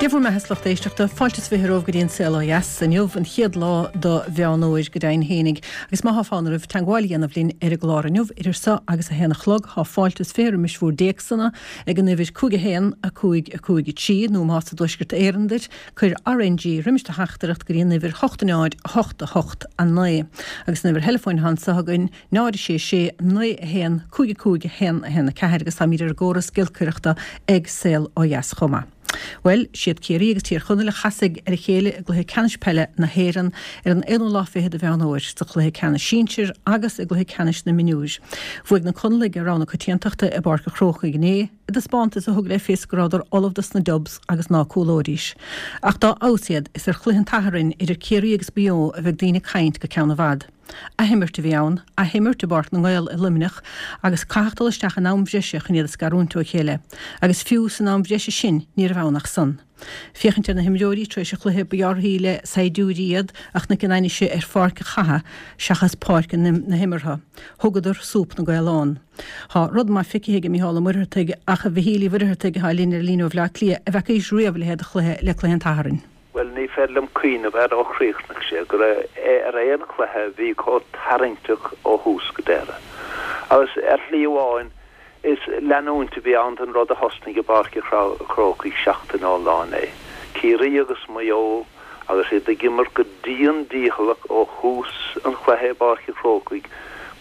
Dia bhur mbeatha, a lucht éisteachta. Fáilte is 20 romhaibh go dtí an Saol Ó Dheas inniu, an chéad lá do Mheán Fhómhair, go deimhin fhéinig. Agus má thá fonn oraibh teagmháil a dhéanamh linn ar an gclár inniu, idir so agus a haon a chlog, thá fáilte is 20 roimis bhúr dtéacsanna ag an uimhir 5 1 5 5 3, nó más i dTuaisceart Éireann duit, cuir RNG roimis do theachtaireacht go dtí an uimhir 8 0 8 8 9. Agus an uimhir theileafóin athá anso againn, 0 6 6 9 1 5 5 1 1 4 agus táimid ar an gcóras giolcaireachta ag Saol Ó Dheas chomh maith. Bhuel, siad Ciarraí agus Tír Chonaill a chasfaidh ar a chéile i gcluiche ceannais peile na hÉireann ar an aonú lá fichead de Mheán Fhómhair, sa chluiche ceannais sinsir agus i gcluiche ceannais na mionúir. Bhuaigh na Conallaigh i rogha na coitiantachta i bPáirc an Chrócaigh inné, i dtaispeántas a thug le fios go rabhadar ullamh dos na Dubs agus ná cúlóidís. Ach dá fheabhas iad, is ar chluiche an tSathairn idir Ciarraí agus Maigh Eo a bheidh daoine ag caint go ceann i bhfad. Athimirt a bhí ann, athimirt i bPáirc na nGael i Luimneach agus caitheadh dul isteach in am bhreise chun iad a scarúint ó chéile. Agus fiú san am bhreise sin ní raibh ann ach san. Féachaint ar na himreoirí tar éis an chluiche ba dhearthaí le saighdiúirí iad a chonaic an ainnise ar pháirc an chatha seachas páirc na himeartha. Thugadar súp na gcaolán. Tá rud maith feicthe aige Mícheál Ó Muircheartaigh ach a Mhichíl Uí Mhuircheartaigh atá linn ar líne ó Bhleá Cliath, an bhfeacaís riamh a leithéid de chluiche le cluiche an tSathairn. Bhuel, ní féidir liom cuimhneamh air ó chríochnaigh sé, go raibh ar aon chluiche a bhí chomh tarraingteach ó thús go deireadh. Agus ar shlí amháin, is leanúint a bhí ann den rud a thosnaigh i bPáirc an Chrócaigh seachtain ón lá inné. Ciarraí agus Maigh Eo agus iad ag imirt go dian dícheallach ó thús an chluiche i bPáirc an Chrócaigh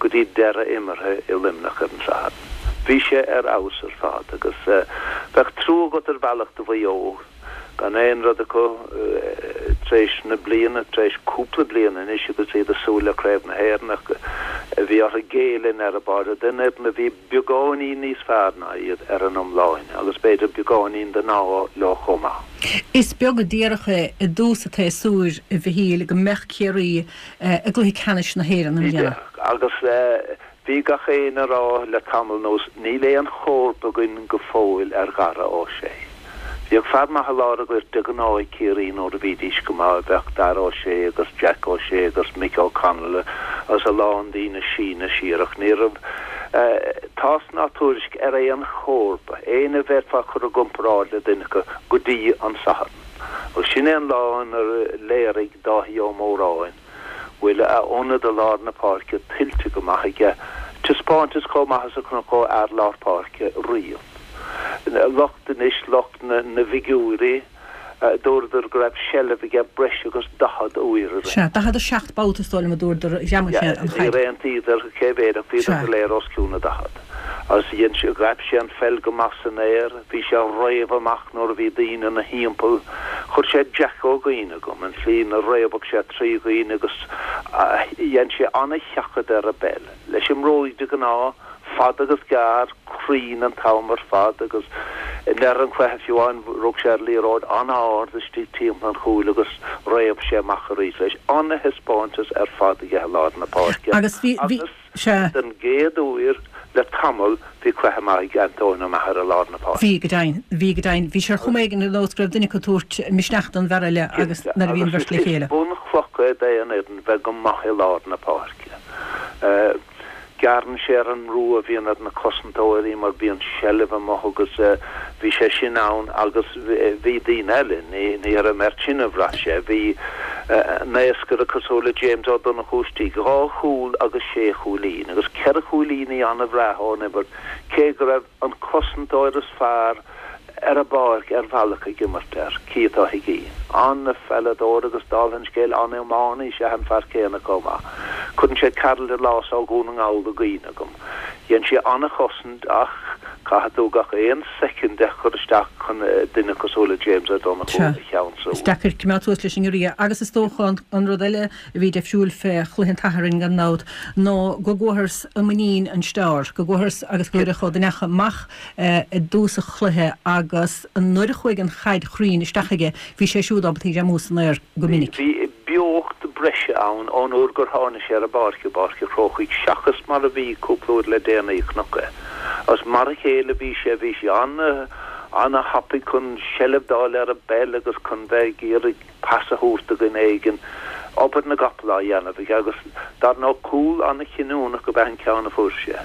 go dtí deireadh imeartha i Luimneach ar an Satharn. Bhí sé ar fheabhas ar fad agus bheadh trua agat ar bhealach do Mhaigh Eo. gan aon rud acu tar éis na bliana, tar éis cúpla bliain anois agus iad ag súil le Craobh na hÉireann ach bhí orthu géilleadh i ndeireadh báire don fhoireann a bhí beagáinín níos fearr ná iad ar an iomláine agus b'fhéidir beagáinín den ádh leo chomh maith. Is beag a déarfadh é i dtús an tséasúir, a Mhichíl, go mbeadh Ciarraí i gcluiche ceannais na hÉireann i mbliana. Agus Bhí gach éinne a rá le tamall anuas, níl aon chomharba againn go fóill ar Dhara Ó Sé. Bhíodh fear maith i lár an ghoirt de ghnáth ag Ciarraí nuair a bhídís go maith, bheadh Dara Ó Sé agus Jack Ó Sé agus Mick O'Connell agus a lán daoine síneadh siar ach ní raibh tásc ná tuairisc ar aon chomharba, éinne a bhféadfá a chur i gcomparáid le duine acu go dtí an Satharn. Agus sin é an lá inar léirigh Dáithí Ó Móráin bhfuil a ionad i lár na páirce tuillte go maith aige, taispeántas chomh maith is a chonac ó fhear lár páirce riamh. Lucht anois, lucht na bhfigiúirí, dúradar go raibh seilbh aige breis agus 40 uair i rith. Sea, 47 babhta is dóigh liom a dúradar, ghreamaigh sé an chaid. Níor aontaíodar cé mhéad ach bhíodar go léir os cionn na 40. Agus dhein sé, ghaibh sé an pheil go maith san aer. Bhí sé ag réabadh amach nuair a bhí daoine ina thimpeall. Chuir sé Jacko i gcuimhne agam, an tslí 'na réabadh sé trí dhaoine agus dhein sé ana-sheachadadh ar an bpeil. Leis an mbróig de ghnáth, fada agus gearr, cruinn an t-am ar fad agus i ndeireadh an chluiche fiú amháin rug sé ar liathróid an-ard istigh timpeall an chúil agus réab sé amach arís leis. Ana-thaispeántas ar fad aige i lár na páirce Agus bhí, bhí. Sea. Den gcéad uair le tamall bhí cluiche maith ag Antóin Ó Meachair i lár na páirce. Bhí, go deimhin. Bhí, go deimhin. Bhí sé ar chuma éigin ar nós go raibh duine acu ag tabhairt misneach don bhfear eile agus nuair a bhí an bheirt le chéile. Agus is bunchloch é d'aon fhoireann bheith go maith i lár na páirce. Gearrann sé ar an mbrú a bhíonn ar na cosantóirí mar bíonn seilbh amuigh agus bhí sé sin ann agus bhí daoine eile, ní ar an mbeirt sin a bhraith sé, bhí naoscaire cosúil le James Ó Donnchú istigh, dhá chúl agus sé chúilín agus ceithre chúilíní an-bhreá ón imirt cé go raibh an cosantóir is fearr ar an bpáirc ar bhealach ag imirt air, Keith Ó hUiginn. An-pheileadóir agus dála an scéil an-iománaí is ea an fear céanna chomh maith. Cuireann sé Karl Delos ó Dhún na nGall i gcuimhne agam. Dhein sé an-chosaint ach caithfidh tú gach aon soicind a chur isteach chun duine cosúil le James Ó Donnchú a cheansú. Is deacair coimeád suas leis an ngiorria agus is dócha an rud eile a bhí deifriúil fé chluiche an tSathairn gan dabht ná go gcuathas i muinín an stiár, go gcuathas agus go gcuireadh Ó Duinneacha amach i dtús an chluiche agus nuair a chuaigh an chaid chruinn isteach aige bhí sé siúd ábalta í ghreamú san aer go minic. Bhí beocht breise ann ón uair gur tháinig sé ar an bpáirc i bPáirc an Chrócaigh seachas mar a bhí cúpla uair le déanaí chonac é. Agus mar a chéile a bhí sé, bhí sé an-thapaidh chun seilbh d'fháil ar an bpeil agus chun bheith ag iarraidh pas a thabhairt do dhuine éigin, obair na gcapall á dhéanamh aige agus dar ndóigh cúl an-chinniúnach ab ea an ceann a fuair sé.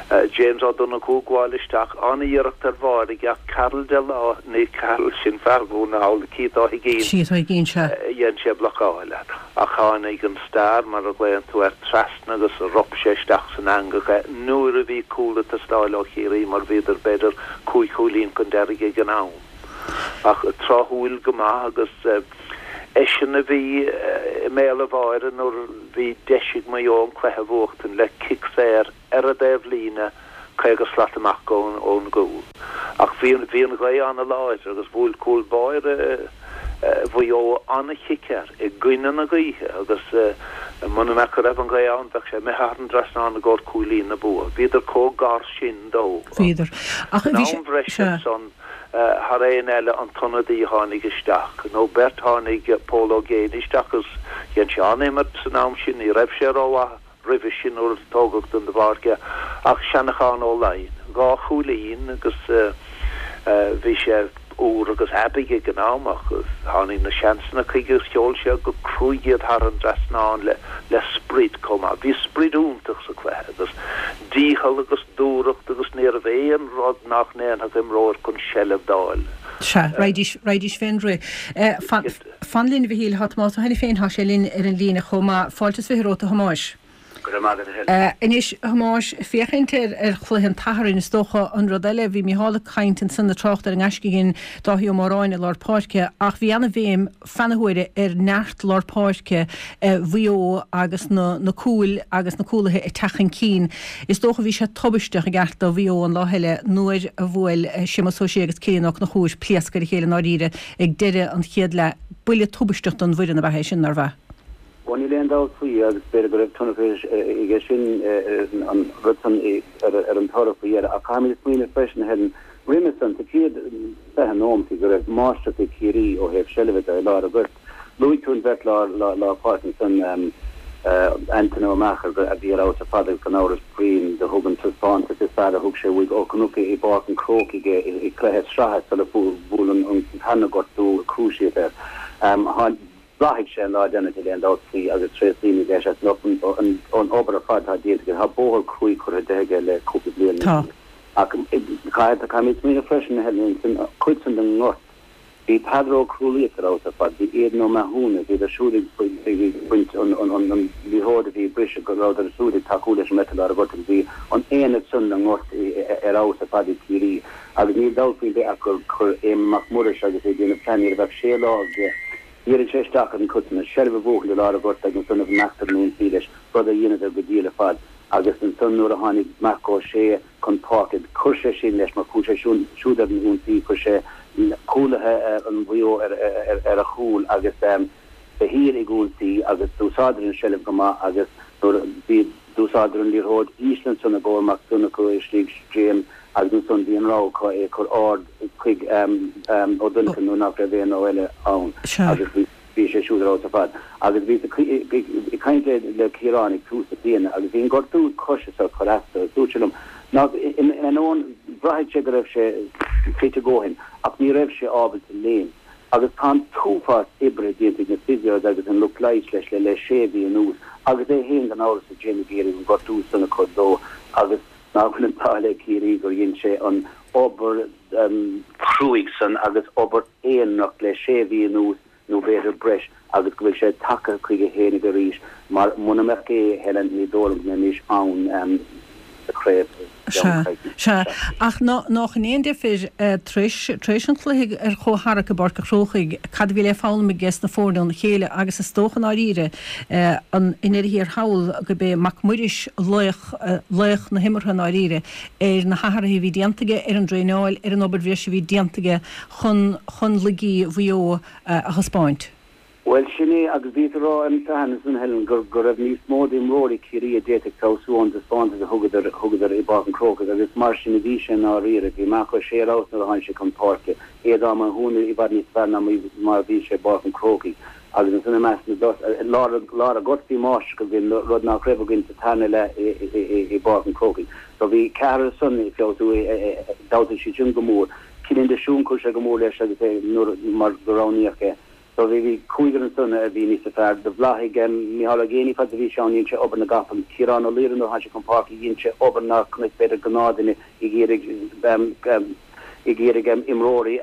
James Ó Donnchú ag gabháil isteach, an-iarracht ar bharr aige ach Karl Delaney, ní Karl sin fear Dhún na nGall, Keith Ó hUiginn, Keith Ó hUiginn, sea. dhein sé blocáil air. Ach tháinig an star, mar a ghlaonn tú air, trasna agus rop sé isteach san eangach é nuair a bhí cúl ag teastáil ó Chiarraí mar bhíodar b'fhéidir cúig chúilín chun deiridh ag an am. Ach tráthúil go maith agus eisean a bhí i mbéal an bháire nuair a bhí deis ag Maigh Eo an cluiche a bhuachtaint le cic saor ar an dtaobhlíne 50 slat amach ón gcúl. Ach bhí an ghaoth an-láidir agus bhuail cúl báire Mhaigh Eo an-chic air i gcoinne na gaoithe agus muna mbeadh go raibh an ghaoth ann bheadh sé imithe thar an dtrasnán i gcomhair cúilín na bua. Bhíodar chomh gar sin dó. Bhíodar. Ach bhí sé. San am bhreise ansan thar aon eile an t-ionadaí a tháinig isteach, nó beirt, tháinig Pól Ó Géibheannaigh isteach agus dhein sé an-imirt san am sin, ní raibh sé rómhaith roimhe sin nuair a tógadh den pháirc é, ach Seanachán Ó Laighin, 2 chúilín agus bhí sé úr agus aibidh ag an am ach tháinig na seansanna chuige agus sheol sé go cruaidh iad thar an dtrasnán le le sprid chomh maith. Bhí sprid iontach sa chluiche agus dícheall agus dúthracht agus níorbh aon rud nach ndéanfadh imreoir chun seilbh d'fháil. Sea, raghaidís, raghaidís fén rith. Fan linn, a Mhichíl, tá Tomás Ó hAiniféin, tá sé linn ar an líne chomh maith. Fáilte is 20 romhat, a Thomáis. Go raibh maith agat, a Helen. Anois, a Thomáis, féachaint ar ar chluiche an tSathairn, is dócha an rud eile, bhí Micheál ag caint ansan ag trácht ar an ngaisce a dhein Dáithí Ó Móráin i lár páirce, ach bhí ana-bhéim feadh na huaire ar neart lár páirce Mhaigh Eo agus na na cúil agus na cúlaithe ag teacht chun cinn. Is dócha bhí sé tubaisteach i gceart do Mhaigh Eo an lá eile nuair a bhuail Séamus Ó Sé agus Cillian Ó Conchúir pléasc ar a chéile i ndáiríre ag deireadh an chéad leath. Buille tubaisteach don bhfoireann ab ea é sin, nárbh ea? Ó níl aon dabht faoi agus b'fhéidir go raibh tionchar aige sin an rud san ar an toradh faoi dheireadh. Ach caithfimid smaoineamh freisin, a Helen, roimhe san, sa chéad 20 nóimeat go raibh máistreacht ag Ciarraí ó thaobh seilbhe de i lár an ghoirt. Luaigh tú an bheirt lár páirce ansan, Antaine Ó Meachair, a bhí ar fheabhas ar fad agus gan amhras Brian do thug an taispeántas is fearr a thug sé uaidh ó chonac i bPáirc an Chrócaigh é i gcluiche sraithe sula bhuail an tarna gortú cruciate air. Bhláthaigh sé an lá deireanach níl aon dabht faoi agus tréaslaímid leis as an obair ar fad atá déanta aige. Tá bóthar cruaidh curtha de aige le cúpla bliain anuas. Ach caithfimid smaoineamh freisin, a Helen, san chuid san den ngort. Bhí Peadar Ó Crualaoich ar fheabhas ar fad, bhí Aidan Ó Mathúna, bhíodar siúd ag baint an liathróid a bhí ag briseadh, go rabhadar siúd ag tacú leis an mbeirt i lár an ghoirt agus bhí an aonad san den ngort ar fheabhas ar fad ag Ciarraí agus níl dabht faoin bith ach gur chuir Éamonn Mac Muiris agus é ag déanamh plean ní raibh ach sé lá aige, dhírigh sé isteach ar an chuid san, an seilbh a bhuachaint i lár an ghoirt agus ansan a imeacht ar an ionsaí leis, rud a dheineadar go diail ar fad agus ansan nuair a tháinig Marc Ó Sé chun páirce. Chuir sé sin leis mar chuaigh sé siúd ar an ionsaí, chuir sé cúlaithe an Mhaigh Eo ar a chúl agus de shíor ag ionsaí agus d'úsáideadar an seilbh go maith agus nuair a bhí d'úsáideadar an liathróid íseal ansan i gcomhair Mac Donnchadha istigh James agus ansan bhí an rogha acu é a chur ard chuig Ó Donnchadha nuair nach raibh aon rogha eile ann agus bhí Bhí sé siúd ar fheabhas ar fad. Agus bhíos ag caint le Ciarán ag tús na bliana agus bhí an gortú coise seo ag cur as dó agus dúirt sé liom nach, in ainneoin, bhraithfeadh sé go raibh sé fit a dhóthain ach ní raibh sé ábalta léim. Agus tá an t-uafás oibre déanta ag na physios agus an lucht leighis leis le le sé mhí anuas agus é féin gan amhras ag déanamh ag iarraidh an gortú san a chur dó agus nach bhfuil an t-ádh le Ciarraí gur dhein sé an obair chruaidh san agus obair aonarach le sé mhí anuas nó b'fhéidir breis agus go bhfuil sé tagtha chuige fhéinig arís mar muna mbeadh é, Helen, ní dóigh liom go mbeimis ann sa chraobh i gceann coicíse. Sea, ach nách in aon deifir tar éis, tar éis an chluiche ar chomhtharrac i bPáirc a' Chrócaigh, cad a bhí le foghlaim aige sna foirne óna chéile agus is dócha i ndáiríre, an, i ndeireadh thiar thall, gurb é Mac Muiris laoch, laoch na himeartha i ndáiríre ar na hathruithe a bhí déanta aige ar an dtraenáil, ar an obair bhreise a bhí déanta aige chun chun laigí Mhaigh Eo a thaispeáint. Bhuel, sin é, agus bhíos ag rá ar an Satharn ansan, Helen, gur go raibh níos mó d'imreoirí Chiarraí a d'fhéadfadh feabhsú ón dtaispeántas a thugadar thugadar i bPáirc an Chrócaigh agus mar sin a bhí sé i ndáiríre. Bhí Marc Ó Sé ar fheabhas nuair a tháinig sé chun páirce, Aodán Mac Mathúna i bhfad níos fearr ná mar a bhí sé i bPáirc an Chrócaigh agus ansan i measc na dtos lár lár an ghoirt bhí máistreacht againn, rud nach raibh againn sa tarna leath i i i bPáirc an Chrócaigh. So bhí ceathrar san ag feabhsú, d'fheabhsaigh siad sin go mór. Cillian de Siún, chuir sé go mór leis agus é nuair mar go roghnaíodh é. So bhí, bhí cúigear ansan a bhí níosa fearr. Do bhláthaigh Micheál Ó Géibheannaigh fad is a bhí sé ann, dhein sé obair na gcapall. Ciarán Ó Laoire nuair a tháinig sé chun páirce dhein sé obair nár chonaic b'fhéidir gnáthdhuine ag iarraidh, ag iarraidh imreoirí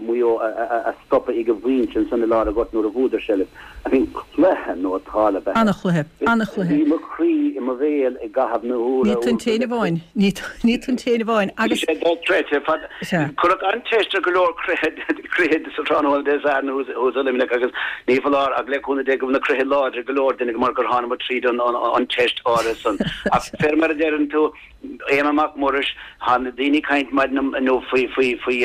Mhaigh Eo a stopadh ag an bpointe ansan i lár an ghoirt nuair a bhuadar seilbh. I mean cluiche nótálta ab ea é. An-chluiche. An-chluiche. Bhí mo chroí i mo bhéal i gcaitheamh na huaire. Ní tú an t-aon amháin. Ní tú an t-aon amháin. Agus. Bhí sé dochreidte. Sea. Cuireadh an-teist ar go leor croíthe sa tráthnóna Dé Sathairn thuas i Luimneach agus ní foláir ach le cúnamh Dé go bhfuil na croíthe láidir ag go leor duine mar gur thánamar tríd an teist áirithe san. Ach fé mar a deireann tú, Éamonn Mac Muiris, Tá na daoine ag caint maidin inniu faoi faoi faoi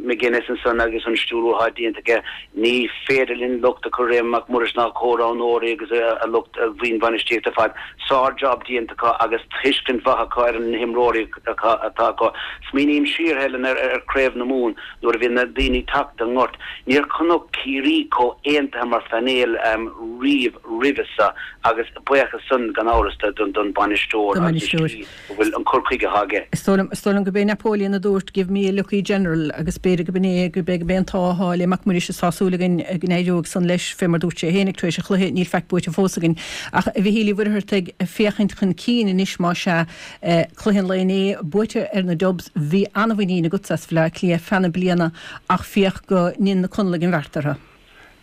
McGuinness ansan agus an stiúrú atá déanta aige. Ní féidir linn locht a chur ar Éamonn Mac Muiris ná a chomhroghnóirí agus a lucht a bhuíon bhainistíochta ar fad. Sár job déanta acu agus tuiscint mhaith acu ar na himreoirí atá acu. Smaoiním siar, Helen, ar ar Chraobh na Mumhan nuair a bhí na daoine ag teacht den ngort. Níor chonac Ciarraí chomh aontaithe mar phainéal riamh roimhe seo agus buíochas san gan amhras don bhainisteoir Don agus an bhainisteoir. slí go bhfuil an cur chuige atá aige. Is dóigh liom, is dóigh liom gurb é Napoleon a dúirt 'Give me a lucky general' agus b'fhéidir gurb in é, gurb é, gurb é an t-ádh atá le Mac Muiris is tá súil againn go n-éireoidh san leis, fé mar dúirt sé féinig tar éis an chluiche, níl faic buaite fós againn. Ach a Mhichíl Uí Mhuircheartaigh, féachaint chun cinn anois más ea, cluiche an lae inné buaite ar na Dubs, bhí an-mhuinín agatsa as Bhaile Átha Cliath feadh na bliana ach féach go ndein na Conallaigh an bheart orthu.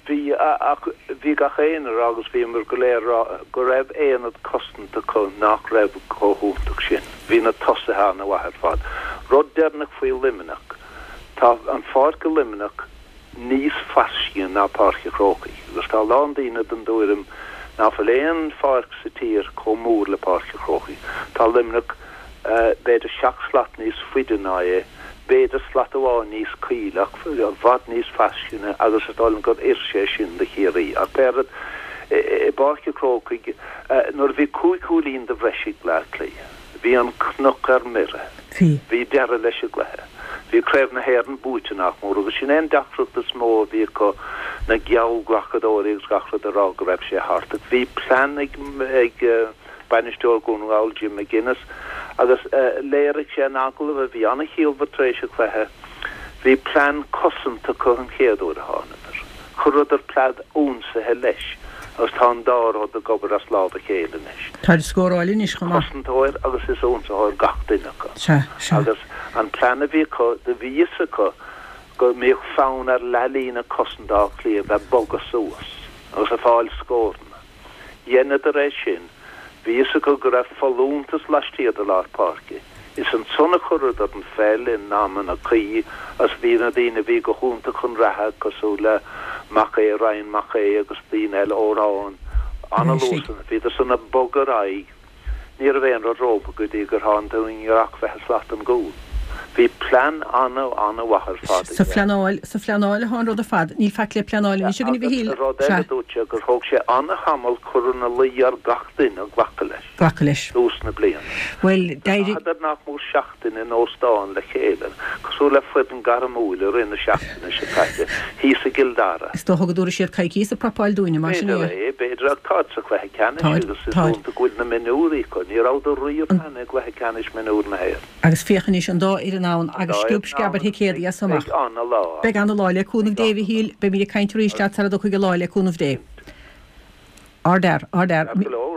Bhí, ach bhí gach éinne a rá agus bhíomar go léir a rá go raibh aonad cosanta acu nach raibh chomh hiontach sin. Bhí na tosaithe an-mhaith ar fad. Rud deireanach faoi Luimneach, tá an pháirc i Luimneach níos fairsinge ná Páirc an Chrócaigh agus tá a lán daoine den dtuairim ná fuil aon pháirc sa tír chomh mór le Páirc an Chrócaigh. Tá Luimneach b'fhéidir seacht slat níos faide ná é. b'fhéidir slat amháin níos caoile ach i bhfad níos fairsinge agus is dóigh liom gur oir sé sin do Chiarraí. Ach pé rud, i bPáirc an Chrócaigh, nuair a bhí cúig chúilín de bhreis ag Bleá Cliath, bhí an cnoc ar mire. Bhí. Bhí deireadh leis an gcluiche. Bhí Craobh na hÉireann buaite nach mór agus sin é an deacracht is mó a bhí acu, na geallghlacadóirí agus gach rud a rá go raibh sé thart. Ach bhí plean ag, ag, bainisteoir Dhún na nGall, Jim McGuinness, agus léirigh sé in agallamh a bhí an-chiallmhar tar éis an chluiche, bhí plean cosanta acu an chéad uair a thánadar. Chuireadar plean ionsaithe leis agus tá an dá rud ag obair as lámh a chéile anois. Táid ag scóráil anois chomh maith. Cosantóir agus is ionsaitheoir gach duine acu. Sea, sea. Agus an plean a bhí acu, do bhí fhios acu go mbíodh fonn ar leathlíne cosanta Átha Cliath bheith bogadh suas agus ag fáil scóranna. Dheineadar é sin. Bhí fhios acu go raibh folúntas laistiar de lár páirce. Is ansan a chuireadar an pheil in amanna cuí agus bhí na daoine a bhí go hiontach chun reatha cosúil le Mac Aodha, Ryan Mac Aodha agus daoine eile, Odhrán, an-luas. Bhíodar san ag bogadh ar aghaidh. Ní raibh aon rud rompu go dtí gur tháinig tú i ngiorracht bheith i slat an gcúil. Bhí plean ana-ana-mhaith ar fad Sa aige. phleanáil, sa phleanáil atá an rud ar fad. Níl faic le pleanáil anois againn a Agus Mhichíl. rud eile Sea. dúirt sé gur thóg sé ana-thamall cur ina luí ar gach duine glacadh leis. Glacadh leis. Tús na bliana. Bhuel, d'éirigh. Chaitheadar nach mór seachtain in óstán le chéile, cosúil le foireann gairmiúil i rith na seachtaine seo caite, thíos i gCill Dara. Is dócha go dtabharfaidh siad coicíos ag prapáil dúinne, mar sin é. B'fhéidir é, b'fhéidir, ach táid sa chluiche ceannais Táid, agus is táid. iontach go bhfuil na mionúirí acu. Ní rabhadar riamh cheana i gcluiche ceannais mionúir na hÉireann. Agus féach anois, an dá fhoireann ann An agus dá sciob fhoireann sceab ann ar thicéadaí as agus so amach. beidh ana-lá ann. Beidh ana-lá, le cúnamh Beidh Dé, a Mhichíl, beimid ag caint arís leat sara dtiocfaidh an lá, le cúnamh Dé. Ardfhear, ardfhear,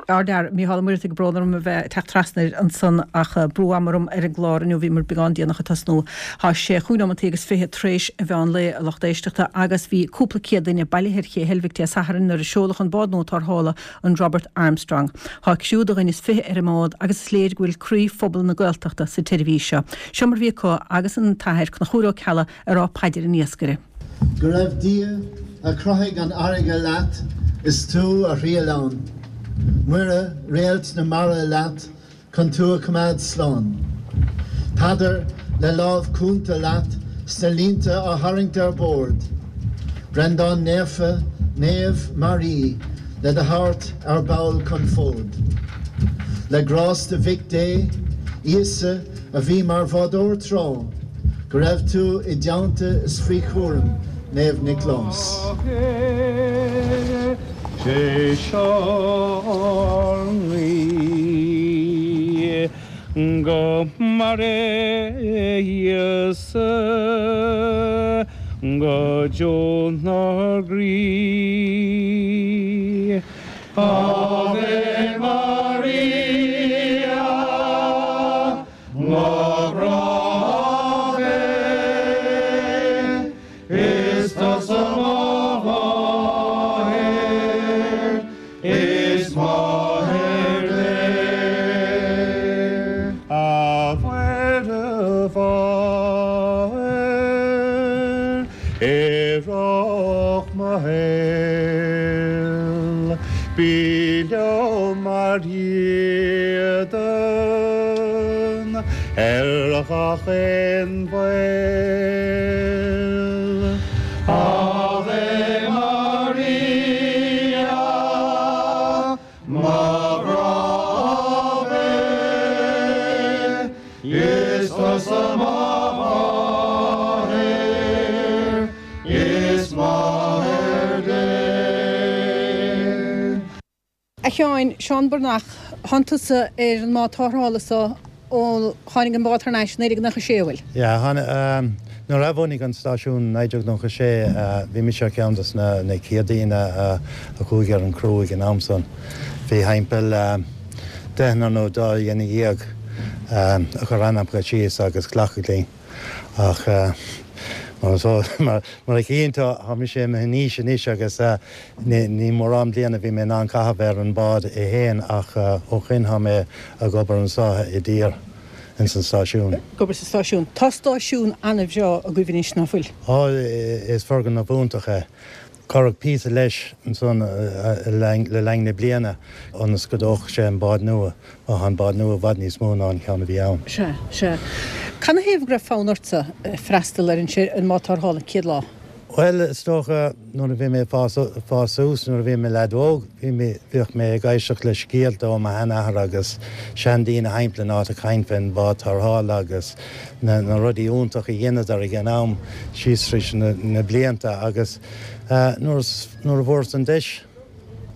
ardfhear, Mícheál Ó Muircheartaigh, brón orm a bheith ag teacht trasna air ansan ach brú ama orm ar an gclár inniu, bhíomar beagán déanach ag tosnú. Tá sé chúig nóimeantaí agus fiche tar éis an mheán lae, a lucht éisteachta, agus bhí cúpla céad duine bailithe ar Ché Heilbhic Dé Sathairn nuair a seoladh an bád nua tarrthála, an Robert Armstrong. Tá criú de dhuine is fiche ar an mbád agus is léir go bhfuil croí phobal na Gaeltachta sa tseirbhís seo. Seo mar a bhí acu agus an tAthair Conchúr Ó Ceallaigh ag rá paidir an iascaire. Go raibh Dia a chruthaigh an fharraige leat is tú a thriall ann, Muire, réalt na mara leat chun tú a choimeád slán, Peadar le lámh cúnta leat 's na línte á tharraingt ar bord, Breandán Naofa, Naomh mar í le do thabhairt ar ball chun fóid. Le grásta Mhic Dé, Íosa a bhí mar bhádóir tráth, Go raibh tú i dteannta is faoi chúram Naomh Nioclás. Sé seo ár nguí, go maire Íosa. Go deo 'nár gcroí. Ave Maria, mo ghrá Ave, Is tusa mo mháthair, is máthair Dé. A Mhuire Mháthair, Oidhreach mo shaoil, bí liom mar dhídean ar gach aon bhaol. Ave Maria, mo ghrá Ave, is tusa mo mháthair, is máthair Dé. A Sheáin, Seán Breathnach, thánn tusa ar an mbád tarrthála so ó tháinig an bád thar n-ais i 1996, an bhfuil? Yeah, tháinig, nuair a athbhunaíodh an stáisiún i 1996, bhí mise ar cheann dos na chéad daoine a chuaigh ar an gcriú ag an am san. Bhí thimpeall deichniúr nó dá dhuine dhéag a chuir ainmneacha síos agus glacadh linn. Ach mar a chíonn tú, tá mise imithe in aois anois agus ní mórán bliana a bhí mé in ann caitheamh ar an bád é féin ach ó shoin tá mé ag obair anseo i dtír, ins an stáisiún. Ag obair sa stáisiún. Tá stáisiún an-bhreá agaibh anois, ná fuil? Á, is foirgneamh iontach é. Cuireadh píosa leis ansan le linn na bliana ionas go dtógfadh sé an bád nua, mar tá an bád nua i bhfad níos mó ná an ceann a bhí ann. Sea, sea. Canathaobh go raibh fonn ortsa freastal ar an mbád tarrthála an chéad lá? Bhuel, is dócha, nuair a bhí mé ag fás suas, nuair a bhí mé leaid óg, bhí mé, bhíodh mé ag éisteacht le scéalta ó mo sheanathair agus seandaoine thimpeall an áit ag caint fén bhád tarrthála agus na rudaí iontacha a dheineadar ag an am síos tríd na blianta agus nuair nuair a bhfuaireas an deis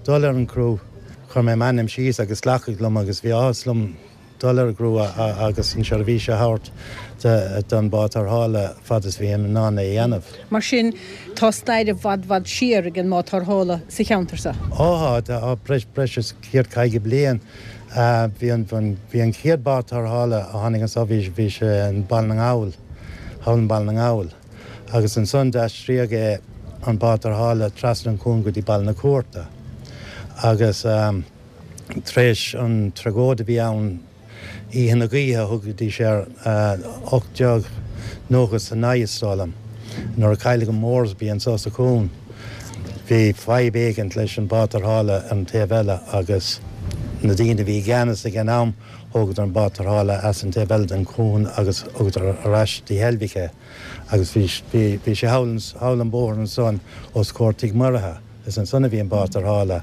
dul ar an gcriú chuir mé m'ainm síos agus glacadh liom agus bhí áthas liom dul ar an gcriú agus an seirbhís a thabhairt don bhád tarrthála fad is bhí in ann é a dhéanamh. Mar sin, tá stair i bhfad bhfad siar ag an mbád tarrthála sa cheantar seo. Ó tá, tá breis is 150 bliain. Bhí an bhí an chéad bád tarrthála a tháinig anseo bhí bhí sé in Baile na nGall, thall in Baile na nGall. Agus ansan d'aistríodh é an bád tarrthála trasna an cuan go dtí Baile na Cúirte. Agus. Tar éis an tragóid a bhí ann Oíche na Gaoithe a thugaidís air, 1899 is dóigh liom, nuair a cailleadh an Moresby anseo sa chuan, bhí fadhb éigint leis an bád tarrthála ar an taobh eile agus na daoine a bhí i gceannas ag an am, thógadar an bád tarrthála as an taobh eile den chuan agus thugadar ar ais dtí Heilbhic é agus bhí bhí sé thall thall an bóthar ansan os comhair Tigh Mhuirithe. Is ansan a bhí an bád tarrthála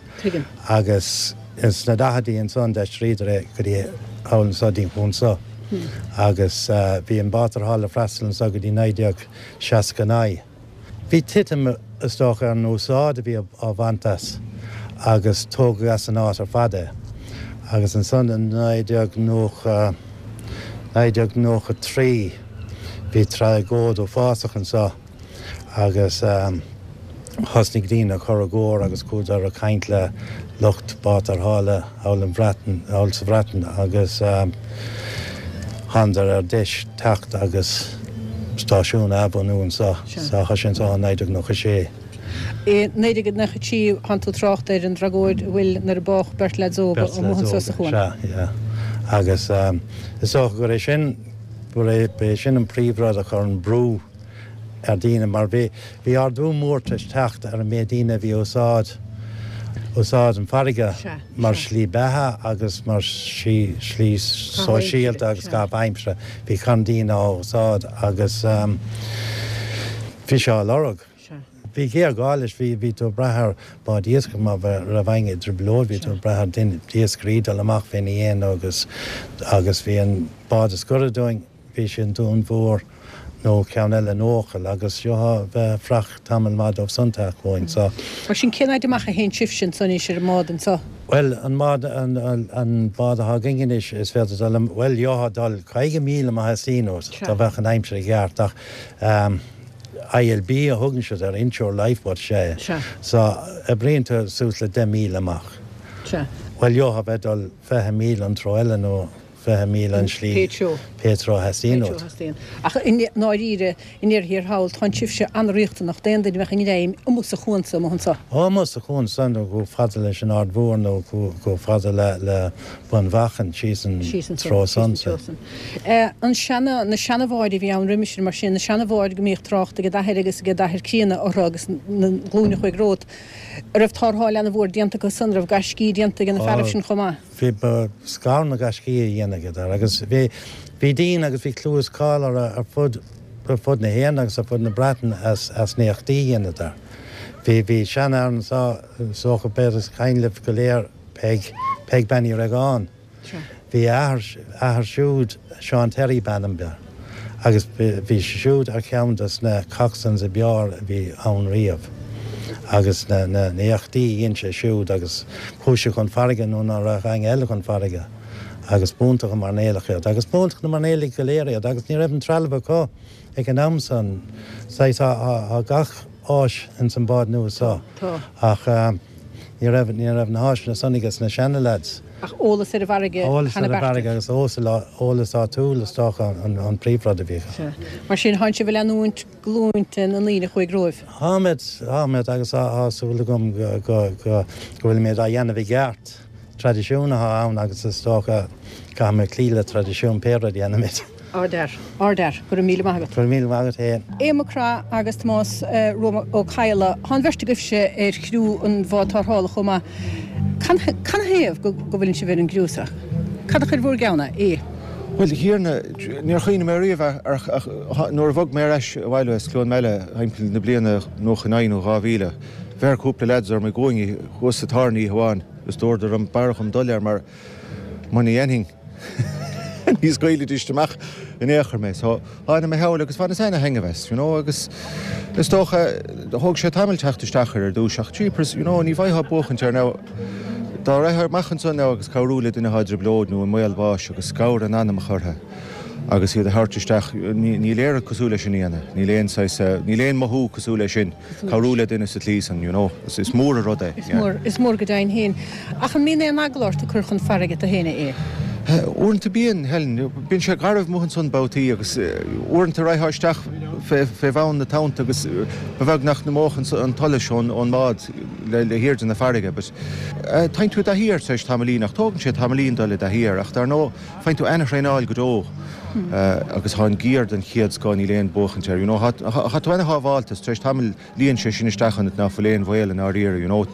agus sna daicheadaí ansan d'aistríodar é go dtí thall anso dtí'n chuan so agus bhí an bád tarrthála ag freastal anso go dtí 1969. Bhí titim is dócha ar an úsáid a bhí á bhaint as agus tógadh as an áit ar fad é agus ansan i 1990, 1993 bhí tragóid uafásach anso. agus thosnaigh daoine ag cur i gcomhar agus chuadar ag caint le lucht bád tarrthála thall an Bhreatain, thall sa Bhreatain agus thánadar ar deis teacht agus stáisiún a athbhunú anseo. So tá sé anseo ó 1996. I 1993 thánn tú ag trácht ar an dtragóid a bhfuil nuair a bádh beirt leaids óga amuigh anseo sa chuan. Sea, yeah. Agus is dócha gur é sin, gur é sin an príomhrud a chuir an brú ar daoine mar bhí bhí ardú mór tar éis teacht ar an méid daoine a bhí ag úsáid úsáid an farraige mar shlí beatha agus mar shlí sóisialta agus caitheamh aimsire. Bhí carn daoine á úsáid agus bhí sé á lorg. Bhí géarghá leis, bhí bhí tú ag brath ar báid iascaigh má raibh éinne i dtrioblóid, bhí tú ag brath ar duine iascairí dul amach féna dhéin agus agus bhí an bád is gaire dúinn Bhí sé i nDún Mhór nó ceann eile in Eochaill agus gheofá bheith ag fuireach tamall maith dóibh san teacht chugainn so. Mar sin, cén fhaid amach a théann sibhse ansan anois ar an mbád anso? Bhuel, an mbád, an bád atá againn anois, is féidir dul, bhuel, gheofá dul 50 míle má theastaíonn uait, dá mbeadh an aimsir i gceart ach. ILB a thugann siad air, Inshore Lifeboat, sea. Sea. So, oibríonn tú suas le 10 míle amach. Sea. Bhuel, gheofá bheith ag dul 20 míle an treo eile nó 20 míle an slí. Pé treo. Pé treo a theastaíonn Pé treo uait. a theastaíonn. Ach i ndáiríre, i ndeireadh thiar thall, tánn sibhse an-riachtanach d'aon duine a bheadh i ngreim amuigh sa chuan so amuigh anso. Ó, amuigh sa chuan san nó chomh fada leis an Aird Mhór nó chomh fada le Bun Mhachan, síos an treo san. Síos an treo san. An seana, na seana-bháid a bhí ann roimis sin, mar sin, na seana-bháid go mbíodh trácht ag d'athair agus ag d'athair críonna orthu agus na glúine a chuaigh romhat, a' raibh tárrtháil ana-mhór déanta acu san, a raibh gaiscí déanta ag na fearaibh sin chomh maith? Bhí, ba scar na gaiscí a dhéanadar agus bhí, bhí daoine agus bhí clú is cáil orthu ar fud, ar fud na hÉireann agus ar fud na Breataine as, as na héachtaí a dhéanadar. Bhí, bhí seanfhear anso, is dócha, b'fhéidir is cuimhin libh go léir Peig, Peig Bean Uí Réagáin. Bhí a athair, athair siúd, Seán Terry b'ainm dó, agus bhí sé siúd ar cheann de na coxswains ab fhearr a bhí ann riamh. Agus na, na, na héachtaí a dhein sé siúd agus chuaigh sé chun farraige nuair ná raibh éinne eile chun farraige agus b'iontach an mairnéalach iad. Agus b'iontach na mairnéalaigh go léir iad agus ní raibh an trealamh acu ag an am san. Saghas, tá, tá gach áis ins an bád nua so ach ní raibh, ní raibh na háiseanna san ages na seana lads. Ach eolas ar an bhfarraige Eolas ar an bhfarraige agus eolas áitiúil is dócha an príomhrud a bhí acu. Sea. Mar sin, thánn sibh ag leanúint glúinte na ndaoine a chuaigh romhaibh. Táimid, táimid agus tá súil agam go, go, go bhfuilimid á dhéanamh i gceart. Traidisiún atá ann agus is dócha caithfimid cloí le traidisiún pé rud a dhéanaimid. Ardfhear. Ardfhear. Go raibh míle maith agat. Go raibh míle maith agat féin. Aodh Mac Craith agus Tomás Rua Ó Cadhla, tá an bheirt agaibhse ar chriú an bháid tarrthála chomh maith. Canathaobh go bhfuileann sibh ar an gcriú seo? Cad a chuir bhur gceann é? Aodh. Bhuel, a Thiarna, níor chuimhnigh mé riamh air ach nuair a bhog mé ar ais abhaile as Cluain Meala thimpeall na bliana 99 nó 2000, bheir cúpla leaids orm i gcúinne thuas sa tábhairne oíche amháin agus dúradar liom b'fhearr dhom dul air mar muna dhéanfainn ní scaoilfidís amach in aon chor mé. So, tháinig mé thall agus bhaineas ana-thaitneamh as, you know, agus is dócha, thóg sé tamall teacht isteach air ar dtús ach jeepers, you know, ní bhfaightheá buachaint air now. Dá rachfá amach ansan now agus cabhrú le duine atá i dtrioblóid nó i mbaol báis agus scabhar a n-anamach orthu agus iad a thabhairt isteach, níl aon rud cosúil leis sin a dhéanamh, níl aon saghas, níl aon mothú cosúil leis sin. Cabhrú le duine sa tslí san, you know. Is mór an rud é. Is mór, is mór go deimhin féin. Ach an mbíonn aon eagla ort ag cur chun farraige tú féin, a Aodh? Uaireanta bíonn, Helen. Bíonn sé garbh amuigh ansan babhtaí agus uaireanta raghfá isteach fé bhun na tonnta agus ba bheag nach n-imeodh an tsolas ón mbád le hairde na farraige. But tagann tú i dtaithí air tar éis tamaillín ach tógann sé tamaillín dul i dtaithí air ach dar ndóigh faigheann tú ana-thraenáil go deo agus tá an gear den chéad scoth, níl aon buachaint air, you know. Tá tú ana-shábháilte, tar éis tamaill luíonn sé sin isteach ionat ná fuil aon bhaol i ndáiríre, you know.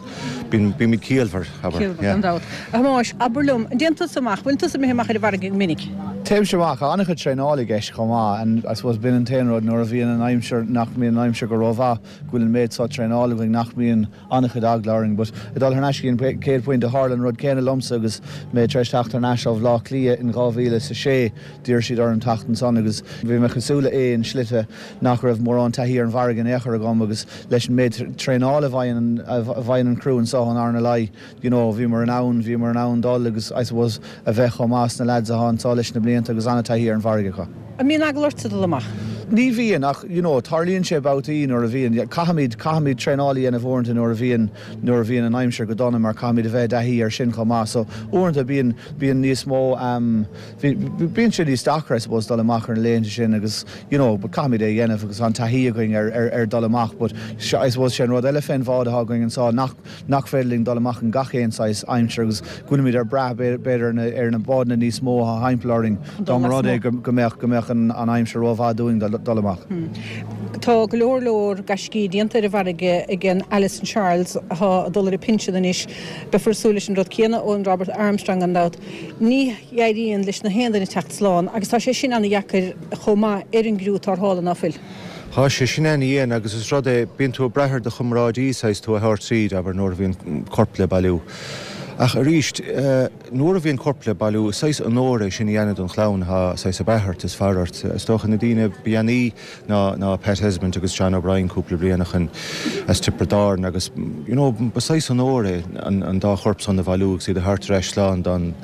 Bíonn, bímid ciallmhar, abair, Ciallmhar, gan dabht. A Thomáis, abair liom, an dtéann tusa amach, bhfuil tusa imithe amach ar an bhfarraige go minic? Téimse amach, tá an-chuid traenála i gceist chomh maith and I suppose b'in an t-aon rud nuair a bhíonn an aimsir, nach mbíonn an aimsir go rómhaith, go bhfuil an méid seo traenála againn nach mbíonn an-chuid eagla orainn. But ag dul thar n-ais go dtí an chéad phointe, tharla an rud céanna liomsa agus mé tar éis teacht thar n-ais ó Bhleá Cliath in 2006. D'iarr siad orm teacht ansan agus bhí mé cosúil le Aodh in slite nach raibh mórán taithí ar an bhfarraige in aon chor agam agus leis an méid traenála a bhfaigheann a bhfaigheann an criú anso ón RNLI, you know, bhíomar in ann, bhíomar in ann dul agus I suppose a bheith chomh maith is na lads atá anso leis na blianta agus an-taithí ar an bhfarraige acu. An mbíonn eagla ortsa dul amach? Ní bhíonn, ach you know, tarlaíonn sé babhtaí nuair a bhíonn, caithfimid, caithfimid traenáil a dhéanamh uaireanta nuair a bhíonn, nuair a bhíonn an aimsir go dona mar caithfimid a bheith i dtaithí air sin chomh maith. So uaireanta bíonn, bíonn níos mó, ehm, bhí, bíonn sé níos deacra I suppose dul amach ar na laethanta sin agus you know, but caithfimid é a dhéanamh agus tá an taithí againn ar, ar, ar dul amach but I suppose sé an rud eile fén bhád atá againn anso nach, nach féidir linn dul amach in gach aon saghas aimsir agus go bhfuilimid ag brath b'fhéidir ar na bádanna níos mó atá thimpeall orainn dá mba rud é go mbeadh go mbeadh an aimsir rómhaith dúinn dul amach. Tá go leor leor gaiscí déanta ar an bhfarraige ag an Alison Charles atá ag dul ar a pinsean anois. Beifear ag súil leis an rud céanna ón Robert Armstrong gan dabht. Ní éiríonn leis na haon duine teacht slán agus tá sé sin ana-dheacair chomh maith ar an gcriú tarrthála, ná fuil? Tá sé sin ana-dhian agus is rud é, bíonn tú ag brath ar do chomráidí saghas tú a thabhairt tríd, abair, nuair a bhíonn corp le bailiú. Ach arís, nuair a bhíonn corp le bailiú, is saghas onóir é sin a dhéanamh don chlann atá saghas ag brath ort, is faire ort. Is dócha na daoine ba dhéanaí ná ná Pat Esmonde agus John O'Brien cúpla bliain ó shin as Tiobraid Árann agus you know ba saghas onóir é an an dá chorp san a bhailiú agus iad a thabhairt ar ais slán don